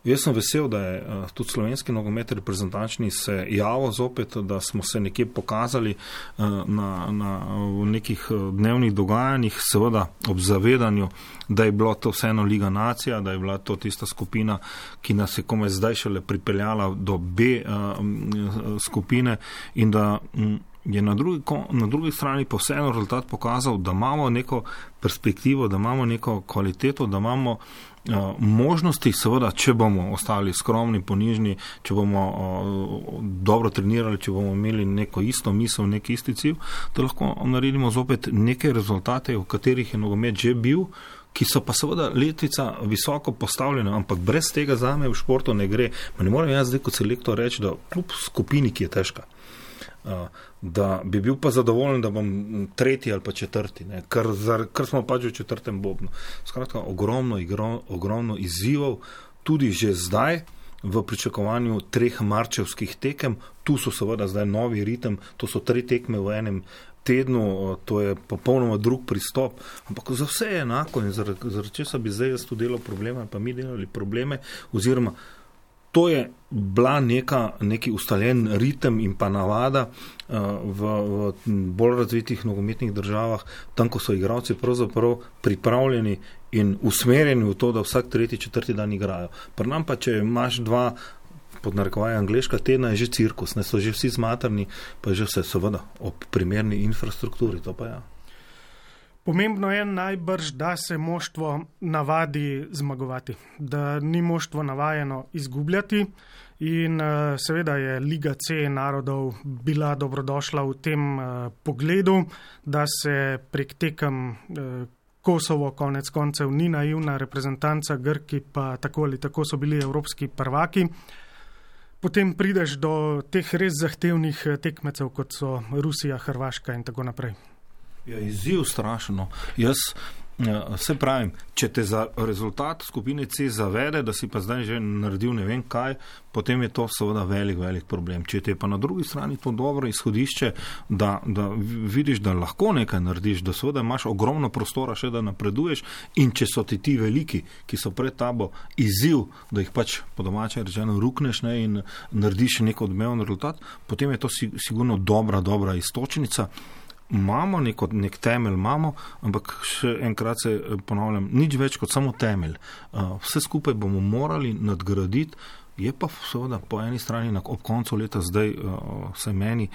Jaz sem vesel, da je uh, tudi slovenski nogomet reprezentančni se javil zopet, da smo se nekje pokazali uh, na, na, v nekih dnevnih dogajanjih, seveda ob zavedanju, da je bila to vseeno Liga nacija, da je bila to tista skupina, ki nas je komaj zdaj šele pripeljala do B uh, skupine in da um, je na drugi, na drugi strani pa vseeno rezultat pokazal, da imamo neko perspektivo, da imamo neko kvaliteto, da imamo uh, možnosti, seveda, če bomo ostali skromni, ponižni, če bomo uh, dobro trenirali, če bomo imeli neko isto misel, neki isti cilj, da lahko naredimo zopet neke rezultate, v katerih je nogomet že bil, ki so pa seveda letvica visoko postavljena, ampak brez tega zame v športu ne gre. Ma ne morem jaz zdaj kot selektor reči, da kljub skupini, ki je težka, da bi bil pa zadovoljen, da bom tretji ali pa četrti, ne? Ker, ker smo pač v četrtem bobnu. Skratka, ogromno, igro, ogromno izzivov, tudi že zdaj v pričakovanju treh marčevskih tekem, tu so seveda zdaj novi ritem, to so tri tekme v enem tednu, to je popolnoma drug pristop, ampak za vse je enako in zaradi, zaradi česa bi zdaj jaz tu delal probleme, pa mi delali probleme, oziroma to je bila neka, neki ustaljen ritem in pa navada uh, v, v bolj razvitih nogometnih državah, tam, ko so igralci pravzaprav pripravljeni in usmerjeni v to, da vsak tretji, četrti dan igrajo. Pri nam pa, če imaš dva, pod narekovaj angleška tedna, je že cirkus, ne, so že vsi zmatrni, pa je že vse seveda ob primerni infrastrukturi, to pa ja. Pomembno je najbrž, da se moštvo navadi zmagovati, da ni moštvo navajeno izgubljati in seveda je Liga C narodov bila dobrodošla v tem pogledu, da se prek tekem Kosovo konec koncev ni naivna reprezentanca, Grki pa tako ali tako so bili evropski prvaki. Potem prideš do teh res zahtevnih tekmecev, kot so Rusija, Hrvaška in tako naprej. Ja, izziv strašno. Jaz ja, se pravim, če te za rezultat skupine C zavede, da si pa zdaj že naredil ne vem kaj, potem je to seveda velik, velik problem. Če te je pa na drugi strani to dobro izhodišče, da, da vidiš, da lahko nekaj narediš, da seveda imaš ogromno prostora še, da napreduješ, in če so ti ti veliki, ki so pred tabo, izziv, da jih pač po domače rečeno rukneš, ne, in narediš neko odmeven rezultat, potem je to sigurno dobra, dobra istočnica. Imamo neko, nek temelj, imamo, ampak še enkrat se ponavljam, nič več kot samo temelj. Vse skupaj bomo morali nadgraditi, je pa seveda po eni strani ob koncu leta zdaj vse meni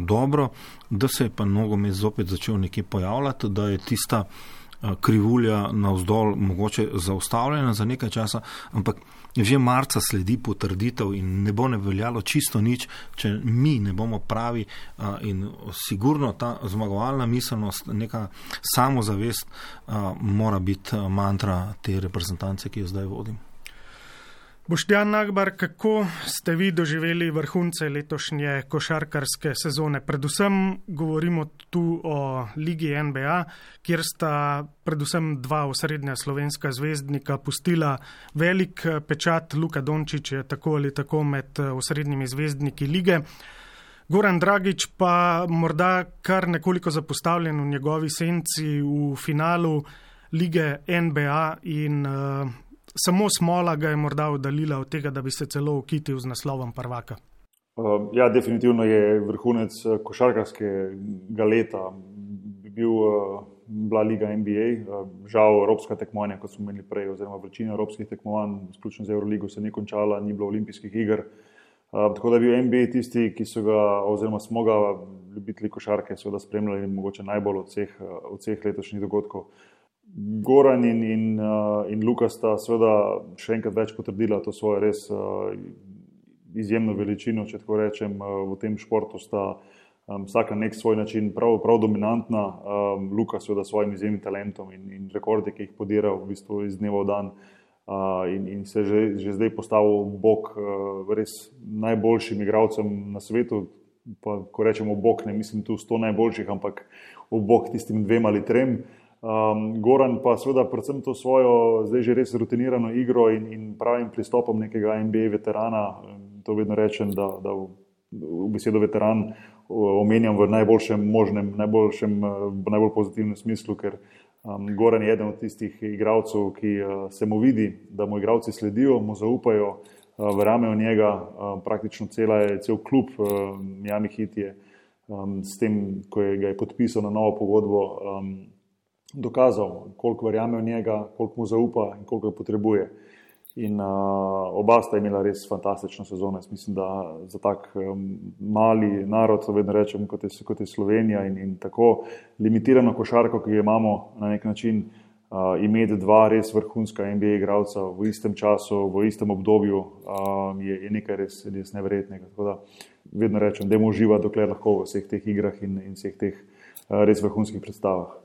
dobro, da se je pa nogomet zopet začel nekje pojavljati, da je tista krivulja navzdol mogoče zaustavljena za nekaj časa, ampak že marca sledi potrditev in ne bo ne veljalo čisto nič, če mi ne bomo pravi, in sigurno ta zmagovalna miselnost, neka samozavest mora biti mantra te reprezentance, ki jo zdaj vodim. Boštjan Nagbar, kako ste vi doživeli vrhunce letošnje košarkarske sezone? Predvsem govorimo tu o Ligi N B A, kjer sta predvsem dva osrednja slovenska zvezdnika pustila velik pečat. Luka Dončić je tako ali tako med osrednjimi zvezdniki lige. Goran Dragić pa morda kar nekoliko zapostavljen v njegovi senci v finalu Lige N B A in uh, samo smola ga je morda oddaljila od tega, da bi se celo ukitil z naslovom prvaka. Uh, ja, definitivno je vrhunec košarkarskega leta bil uh, bila Liga N B A. Uh, žal evropska tekmovanja, kot smo imeli prej, oziroma večina evropskih tekmovanj, izključno z Euroligo, se ni končala, ni bilo olimpijskih iger. Uh, tako da je bil N B A tisti, ki so ga, oziroma smo ga ljubitelji košarke seveda spremljali mogoče najbolj od vseh, od vseh letošnjih dogodkov. Goran in, in, uh, in Luka sta seveda še enkrat več potrdila to svojo res uh, izjemno veličino, če tako rečem. Uh, v tem športu sta um, vsak na nek svoj način prav, prav dominantna. Um, Luka seveda s svojim izjemnim talentom in, in rekordi, ki jih podira v bistvu iz dneva v dan. Uh, in, in se že, že zdaj postavil bok uh, res najboljšim igralcem na svetu, pa ko rečemo bok, ne mislim tu sto najboljših, ampak v bok tistim dvem ali trem. Um, Goran pa seveda predvsem to svojo zdaj že res rutinirano igro in, in pravim pristopom nekega N B A veterana, to vedno rečem, da, da v, v besedo veteran omenjam v najboljšem možnem, najboljšem, v najbolj pozitivnem smislu, ker Um, Goran je eden od tistih igralcev, ki uh, se mu vidi, da mu igralci sledijo, mu zaupajo, uh, verjamejo v njega, uh, praktično cela je, cel klub uh, Miami Heat je um, s tem, ko je ga je podpisal na novo pogodbo, um, dokazal, koliko verjame v njega, koliko mu zaupa in koliko ga potrebuje. In uh, oba sta imela res fantastično sezono. Jaz mislim, da za tak um, mali narod, vedno rečem, kot je, kot je Slovenija in, in tako limitirano košarko, ki jo imamo na nek način, uh, imeti dva res vrhunska N B A igralca v istem času, v istem obdobju, um, je, je nekaj res, res neverjetnega. Tako da vedno rečem, da je uživa, dokler lahko v vseh teh igrah in, in vseh teh uh, res vrhunskih predstavah.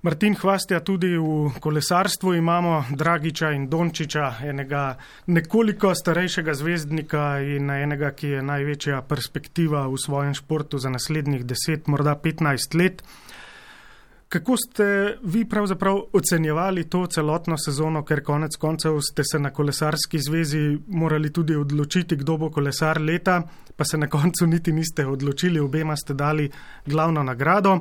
Martin Hvastija, tudi v kolesarstvu imamo Dragića in Dončića, enega nekoliko starejšega zvezdnika in enega, ki je največja perspektiva v svojem športu za naslednjih deset, morda petnajst let. Kako ste vi pravzaprav ocenjevali to celotno sezono, ker konec koncev ste se na kolesarski zvezi morali tudi odločiti, kdo bo kolesar leta, pa se na koncu niti niste odločili, obema ste dali glavno nagrado.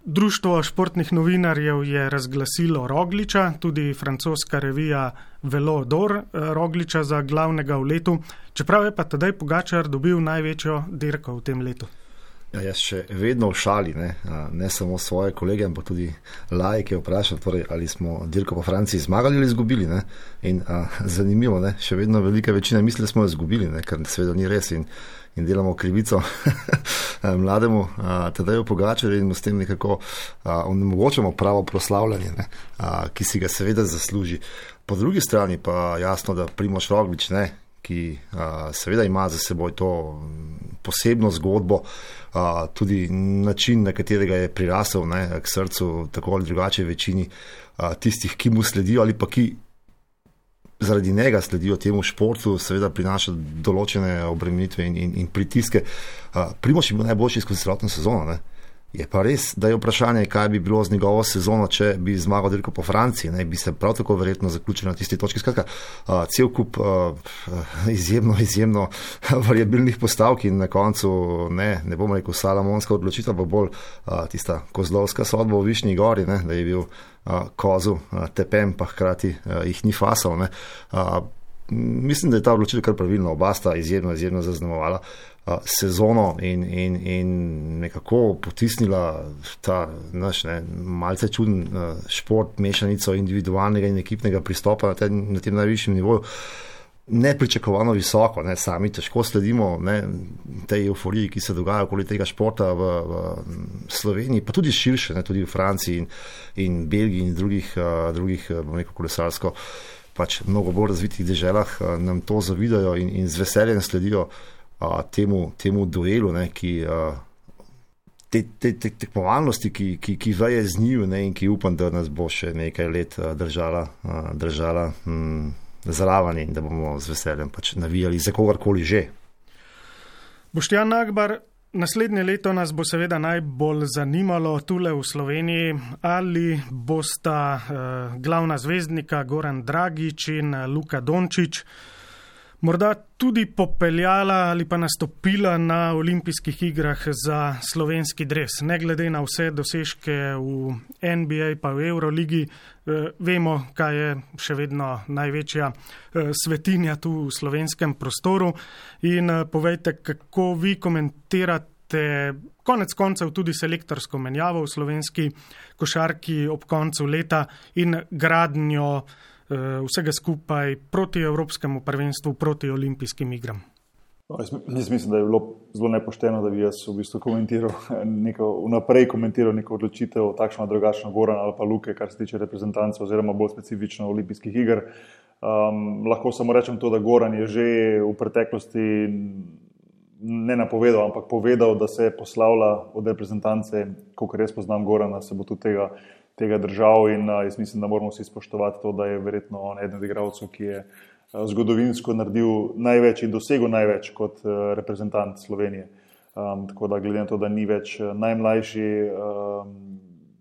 Društvo športnih novinarjev je razglasilo Rogliča, tudi francoska revija Velo d'Or Rogliča za glavnega v letu, čeprav je pa Tadej Pogačar dobil največjo dirko v tem letu. Ja, jaz še vedno v šali, ne, ne samo svoje kolege, ampak tudi laike vprašam, torej, ali smo dirko po Franciji zmagali ali izgubili. Ne? In a, zanimivo, ne? Še vedno velika večina misli, da smo jo izgubili, ne? Ker seveda ni res in, in delamo krivico mlademu Tadeju Pogačarju in s tem nekako onemogočamo pravo proslavljanje, ne? A, ki si ga seveda zasluži. Po drugi strani pa jasno, da Primož Roglič, ne, ki a, seveda ima za seboj to posebno zgodbo, a, tudi način, na katerega je prirasel, ne, k srcu tako ali drugače večini a, tistih, ki mu sledijo ali pa ki zaradi njega sledijo temu športu, seveda prinaša določene obremenitve in, in, in pritiske. A, Primož je bil najboljši skozi celotno sezono, ne. Je pa res, da je vprašanje, kaj bi bilo z njegovo sezono, če bi zmagal dirko po Franciji, ne, bi se prav tako verjetno zaključili na tisti točki. Skratka, uh, cel kup uh, izjemno, izjemno variabilnih postavk in na koncu, ne, ne bom rekel salamonska odločitev, pa bolj uh, tista kozlovska sodba v Višnji gori, ne, da je bil uh, kozu uh, tepem, pa hkrati uh, jih ni fasal. Ne. Uh, mislim, da je ta odločitev kar pravilno, oba sta izjemno, izjemno zaznamovala sezono in, in, in nekako potisnila ta naš ne, malce čuden šport, mešanico individualnega in ekipnega pristopa na tem, na tem najvišjem nivoju. Nepričakovano visoko, ne, sami težko sledimo ne, tej euforiji, ki se dogaja okoli tega športa v, v Sloveniji, pa tudi širše, ne, tudi v Franciji in, in Belgiji in drugih, uh, drugih bom rekel, kolesarsko pač mnogo bolj razvitih deželah uh, nam to zavidajo in, in z veseljem sledijo uh, temu, temu duelu, ne, ki uh, te, te, te tekmovalnosti, ki, ki, ki veje z njiju, ne, in ki upam, da nas bo še nekaj let uh, držala, uh, držala hm, zraven in da bomo z veseljem pač navijali za kogarkoli že. Boštjan Nagbar, naslednje leto nas bo seveda najbolj zanimalo tule v Sloveniji, ali bosta eh, glavna zvezdnika Goran Dragič in Luka Dončić morda tudi popeljala ali pa nastopila na olimpijskih igrah za slovenski dres. Ne glede na vse dosežke v N B A pa v Euroligi, eh, vemo, kaj je še vedno največja eh, svetinja tu v slovenskem prostoru. In eh, povejte, kako vi komentirate konec koncev tudi selektorsko menjavo v slovenski košarki ob koncu leta in gradnjo vsega skupaj proti Evropskemu prvenstvu, proti olimpijskim igram. Jaz mislim, da je bilo zelo nepošteno, da bi jaz v bistvu komentiral, neko, vnaprej komentiral neko odločitev, takšno drugačno Goran ali pa Luke, kar se tiče reprezentance oziroma bolj specifično olimpijskih iger. Um, lahko samo rečem to, da Goran je že v preteklosti ne napovedal, ampak povedal, da se poslavlja od reprezentance, kolikor jaz poznam Gorana, se bo tudi tega tega držav in uh, jaz mislim, da moramo vsi spoštovati to, da je verjetno on eden od igralcev, ki je uh, zgodovinsko naredil največ in dosegel največ kot uh, reprezentant Slovenije. Um, tako da glede na to, da ni več uh, najmlajši, um,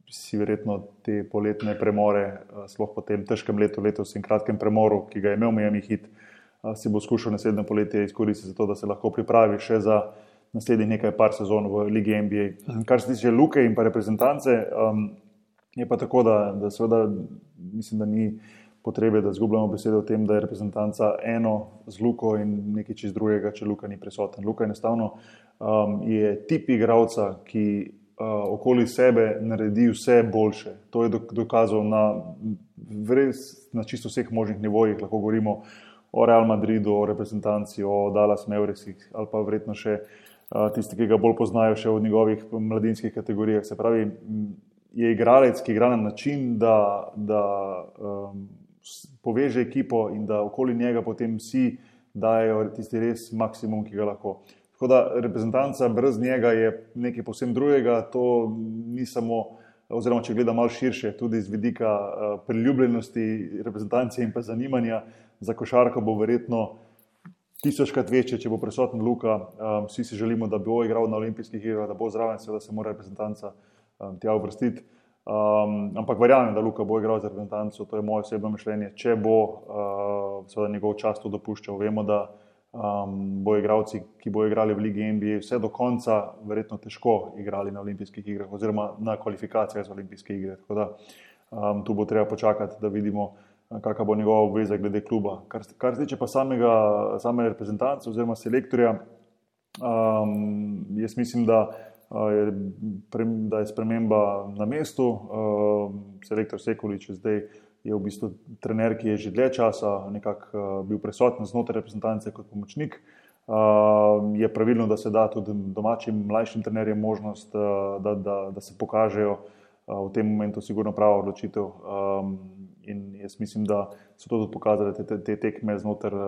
si verjetno te poletne premore, uh, sploh po tem težkem letu, letos in kratkem premoru, ki ga je imel Miami Heat, uh, si bo skušal naslednje poletje izkoristiti za to, da se lahko pripravi še za naslednjih nekaj par sezon v Ligi N B A. Kar se tiče Luke in pa reprezentance, um, je pa tako, da, da seveda mislim, da ni potrebe, da zgubljamo besede o tem, da je reprezentanca eno z Luko in nekaj čist drugega, če Luka ni prisoten. Luka enostavno um, je tip igralca, ki uh, okoli sebe naredi vse boljše. To je dokazal na, res, na čisto vseh možnih nivojih. Lahko govorimo o Real Madridu, o reprezentanci, o Dallas Mavericksih ali pa verjetno še uh, tisti, ki ga bolj poznajo še v njegovih mladinskih kategorijah. Se pravi, je igralec, ki igra na način, da, da um, poveže ekipo in da okoli njega potem vsi dajo tisti res maksimum, ki ga lahko. Tako da reprezentanca brez njega je nekaj povsem drugega, to ni samo, oziroma če gleda malo širše, tudi z vidika uh, priljubljenosti reprezentance in pa zanimanja za košarko bo verjetno tisočkrat večje, če bo prisoten Luka. Um, vsi si želimo, da bo igral na olimpijskih igrah, da bo zraven, seveda se mora reprezentanca tja uvrstiti. Um, ampak verjamem, da Luka bo igral za reprezentanco, to je moje osebno mišljenje, če bo uh, seveda njegov čas to dopuščal. Vemo, da um, bo igralci, ki bo igrali v Ligi N B A, vse do konca verjetno težko igrali na olimpijskih igrah oziroma na kvalifikacijah za olimpijske igre. Tako da um, tu bo treba počakati, da vidimo, kakva bo njegova obveza glede kluba. Kar, kar se tiče pa samega, same reprezentance oziroma selektorja, um, jaz mislim, da da je sprememba na mestu. Selektor Sekulič zdaj je v bistvu trener, ki je že dlje časa nekako bil prisoten znotraj reprezentance kot pomočnik. Je pravilno, da se da tudi domačim mlajšim trenerjem možnost, da, da, da se pokažejo v tem momentu sigurno prava odločitev. In jaz mislim, da so to tudi pokazali te, te tekme znotraj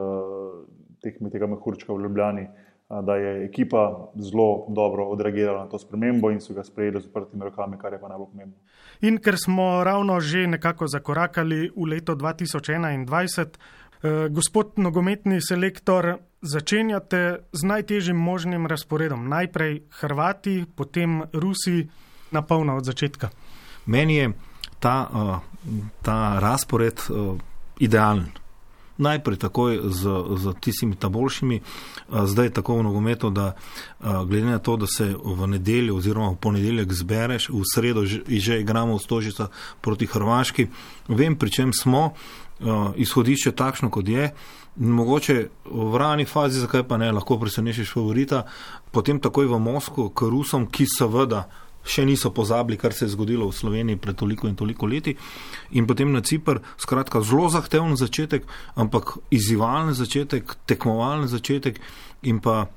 tekme tega mehurčka v Ljubljani, da je ekipa zelo dobro odreagirala na to spremembo in so ga sprejeli z odprtimi rokami, kar je pa najbolj pomembno. In ker smo ravno že nekako zakorakali v leto dva tisoč enaindvajset, eh, gospod nogometni selektor, začenjate z najtežjim možnim razporedom. Najprej Hrvati, potem Rusi, na polno od začetka. Meni je ta, uh, ta razpored uh, idealen. Najprej takoj z, z tistimi ta boljšimi, zdaj tako v nogometu, da glede na to, da se v nedeljo oziroma v ponedeljek zbereš, v sredo že, že igramo v Stožica proti Hrvaški, vem, pri čem smo, izhodišče takšno, kot je, mogoče v rani fazi, zakaj pa ne, lahko presenešiš favorita, potem takoj v Moskvo k Rusom, ki seveda še niso pozabili, kar se je zgodilo v Sloveniji pred toliko in toliko leti, in potem na Cipr, skratka zelo zahteven začetek, ampak izzivalen začetek, tekmovalen začetek in pa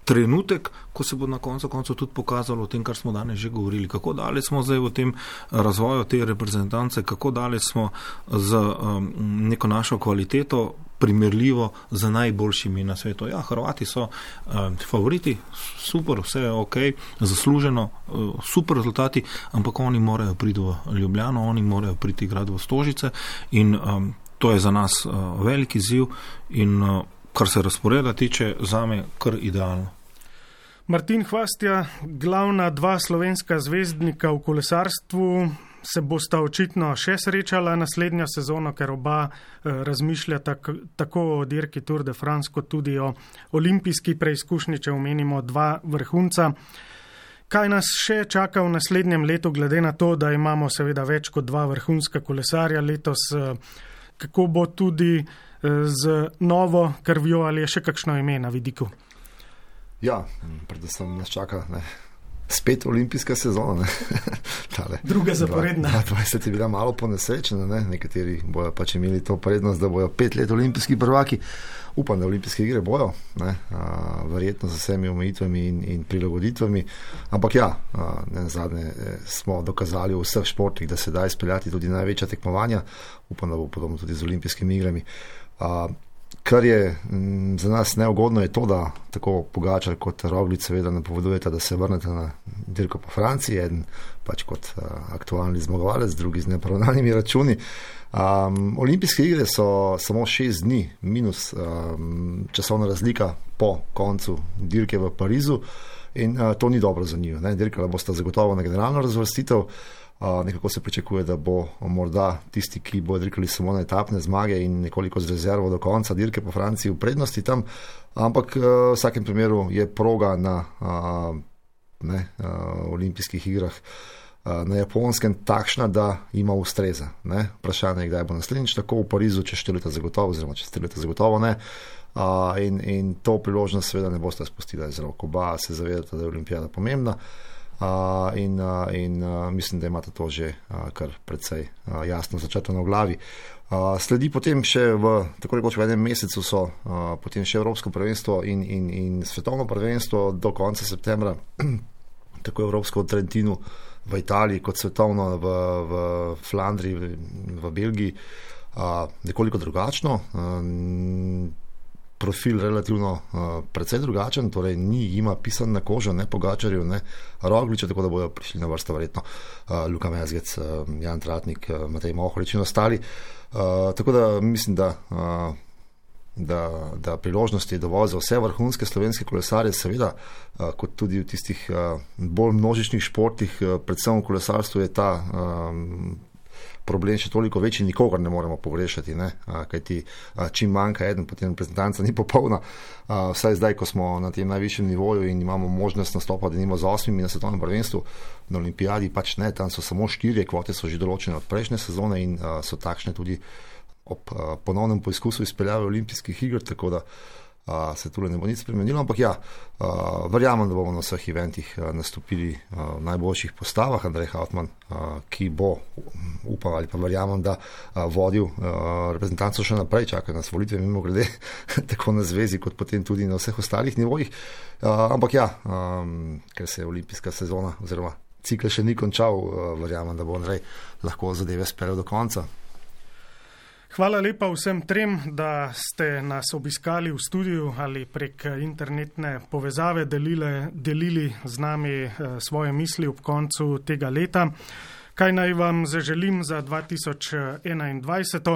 trenutek, ko se bo na koncu koncu tudi pokazalo o tem, kar smo danes že govorili, kako daleč smo zdaj v tem razvoju te reprezentance, kako daleč smo z um, neko našo kvaliteto primerljivo z najboljšimi na svetu. Ja, Hrvati so um, favoriti, super, vse je ok, zasluženo, uh, super rezultati, ampak oni morajo priti v Ljubljano, oni morajo priti igrati v Stožice in um, To je za nas velik izziv in kar se razporeda tiče, zame kar idealno. Martin Hvastija, glavna dva slovenska zvezdnika v kolesarstvu, se bosta očitno še srečala naslednjo sezono, ker oba razmišljata tako o dirki Tour de France, kot tudi o olimpijski preizkušnji, če omenimo dva vrhunca. Kaj nas še čaka v naslednjem letu, glede na to, da imamo seveda več kot dva vrhunska kolesarja letos, kako bo tudi z novo krvjo ali je še kakšno ime na vidiku? Ja, predvsem nas čaka ne, spet olimpijska sezona. Tale, Druga zaporedna. dvajset je bila malo ponesrečena, ne? Nekateri bojo pač imeli to prednost, da bojo pet let olimpijski prvaki. Upam, da olimpijske igre bojo, ne? A, verjetno z vsemi omejitvami in, in prilagoditvami, ampak ja, a, ne, zadnje smo dokazali v vseh športih, da se da izpeljati tudi največja tekmovanja. Upam, da bo podobno tudi z olimpijskimi igrami. A, Kar je m, za nas neugodno je to, da tako Pogačar kot Roglič seveda napovedujeta, da se vrnete na dirko po Franciji, eden pač kot uh, aktualni zmagovalec, drugi z neporavnanimi računi. Um, olimpijske igre so samo šest dni minus um, časovna razlika po koncu dirke v Parizu in uh, to ni dobro za njih. Dirkala bosta zagotovo na generalno razvrstitev. Uh, nekako se pričakuje, da bo morda tisti, ki bo dirkali samo na etapne zmage in nekoliko z rezervo do konca dirke po Franciji v prednosti tam, ampak uh, v vsakem primeru je proga na uh, ne, uh, olimpijskih igrah uh, na Japonskem takšna, da ima ustreza. Ne? Vprašanje je, kdaj bo naslednjič tako v Parizu, čez štiri leta zagotovo, oziroma čez tri leta zagotovo ne. Uh, in, in to priložnost seveda ne boste spustila iz rok. Oba se zavedate, da je olimpijada pomembna. Uh, in, uh, in uh, mislim, da imate to že uh, kar precej uh, jasno začrtano v glavi. Uh, sledi potem še v, tako rekoč v enem mesecu so uh, potem še Evropsko prvenstvo in, in, in svetovno prvenstvo do konca septembra, tako Evropsko v Trentinu v Italiji kot svetovno v, v Flandriji, v, v Belgiji, uh, nekoliko drugačno. Uh, profil relativno uh, precej drugačen, torej ni jima pisan na kožo, ne Pogačarju, ne Rogliču, tako da bodo prišli na vrsto verjetno uh, Luka Mezgec, uh, Jan Tratnik, uh, Matej Mohorič in ostali. Uh, tako da mislim, da, uh, da, da priložnosti je dovolj za vse vrhunske slovenske kolesarje, seveda, uh, kot tudi v tistih uh, bolj množičnih športih, uh, predvsem v kolesarstvu je ta um, problem še toliko večji, nikogar ne moremo pogrešati, ne? Kajti čim manjka eden, potem reprezentanca ni popolna. Vsaj zdaj, ko smo na tem najvišjem nivoju in imamo možnost nastopa, da nimo z osmimi na svetovnem prvenstvu, na olimpijadi pač ne, tam so samo štirje, kvote so že določene od prejšnje sezone in so takšne tudi ob ponovnem poizkusu izpeljave olimpijskih iger, tako da Uh, se tule ne bo nič spremenilo, ampak ja, uh, verjamem, da bomo na vseh eventih uh, nastopili uh, v najboljših postavah. Andrej Hautmann, uh, ki bo, upam ali pa verjamem, da uh, vodil uh, reprezentanco še naprej, čaka nas volitve mimo grede, tako na zvezi, kot potem tudi na vseh ostalih nivojih. Uh, ampak ja, um, ker se je olimpijska sezona oziroma cikl še ni končal, uh, verjamem, da bo Andrej lahko zadeve speljal do konca. Hvala lepa vsem trem, da ste nas obiskali v studiu ali prek internetne povezave delile, delili z nami svoje misli ob koncu tega leta. Kaj naj vam zaželim za dva tisoč enaindvajset?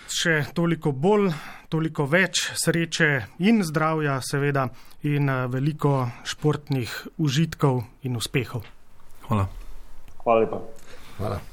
Še toliko bolj, toliko več sreče in zdravja seveda in veliko športnih užitkov in uspehov. Hvala. Hvala lepa. Hvala.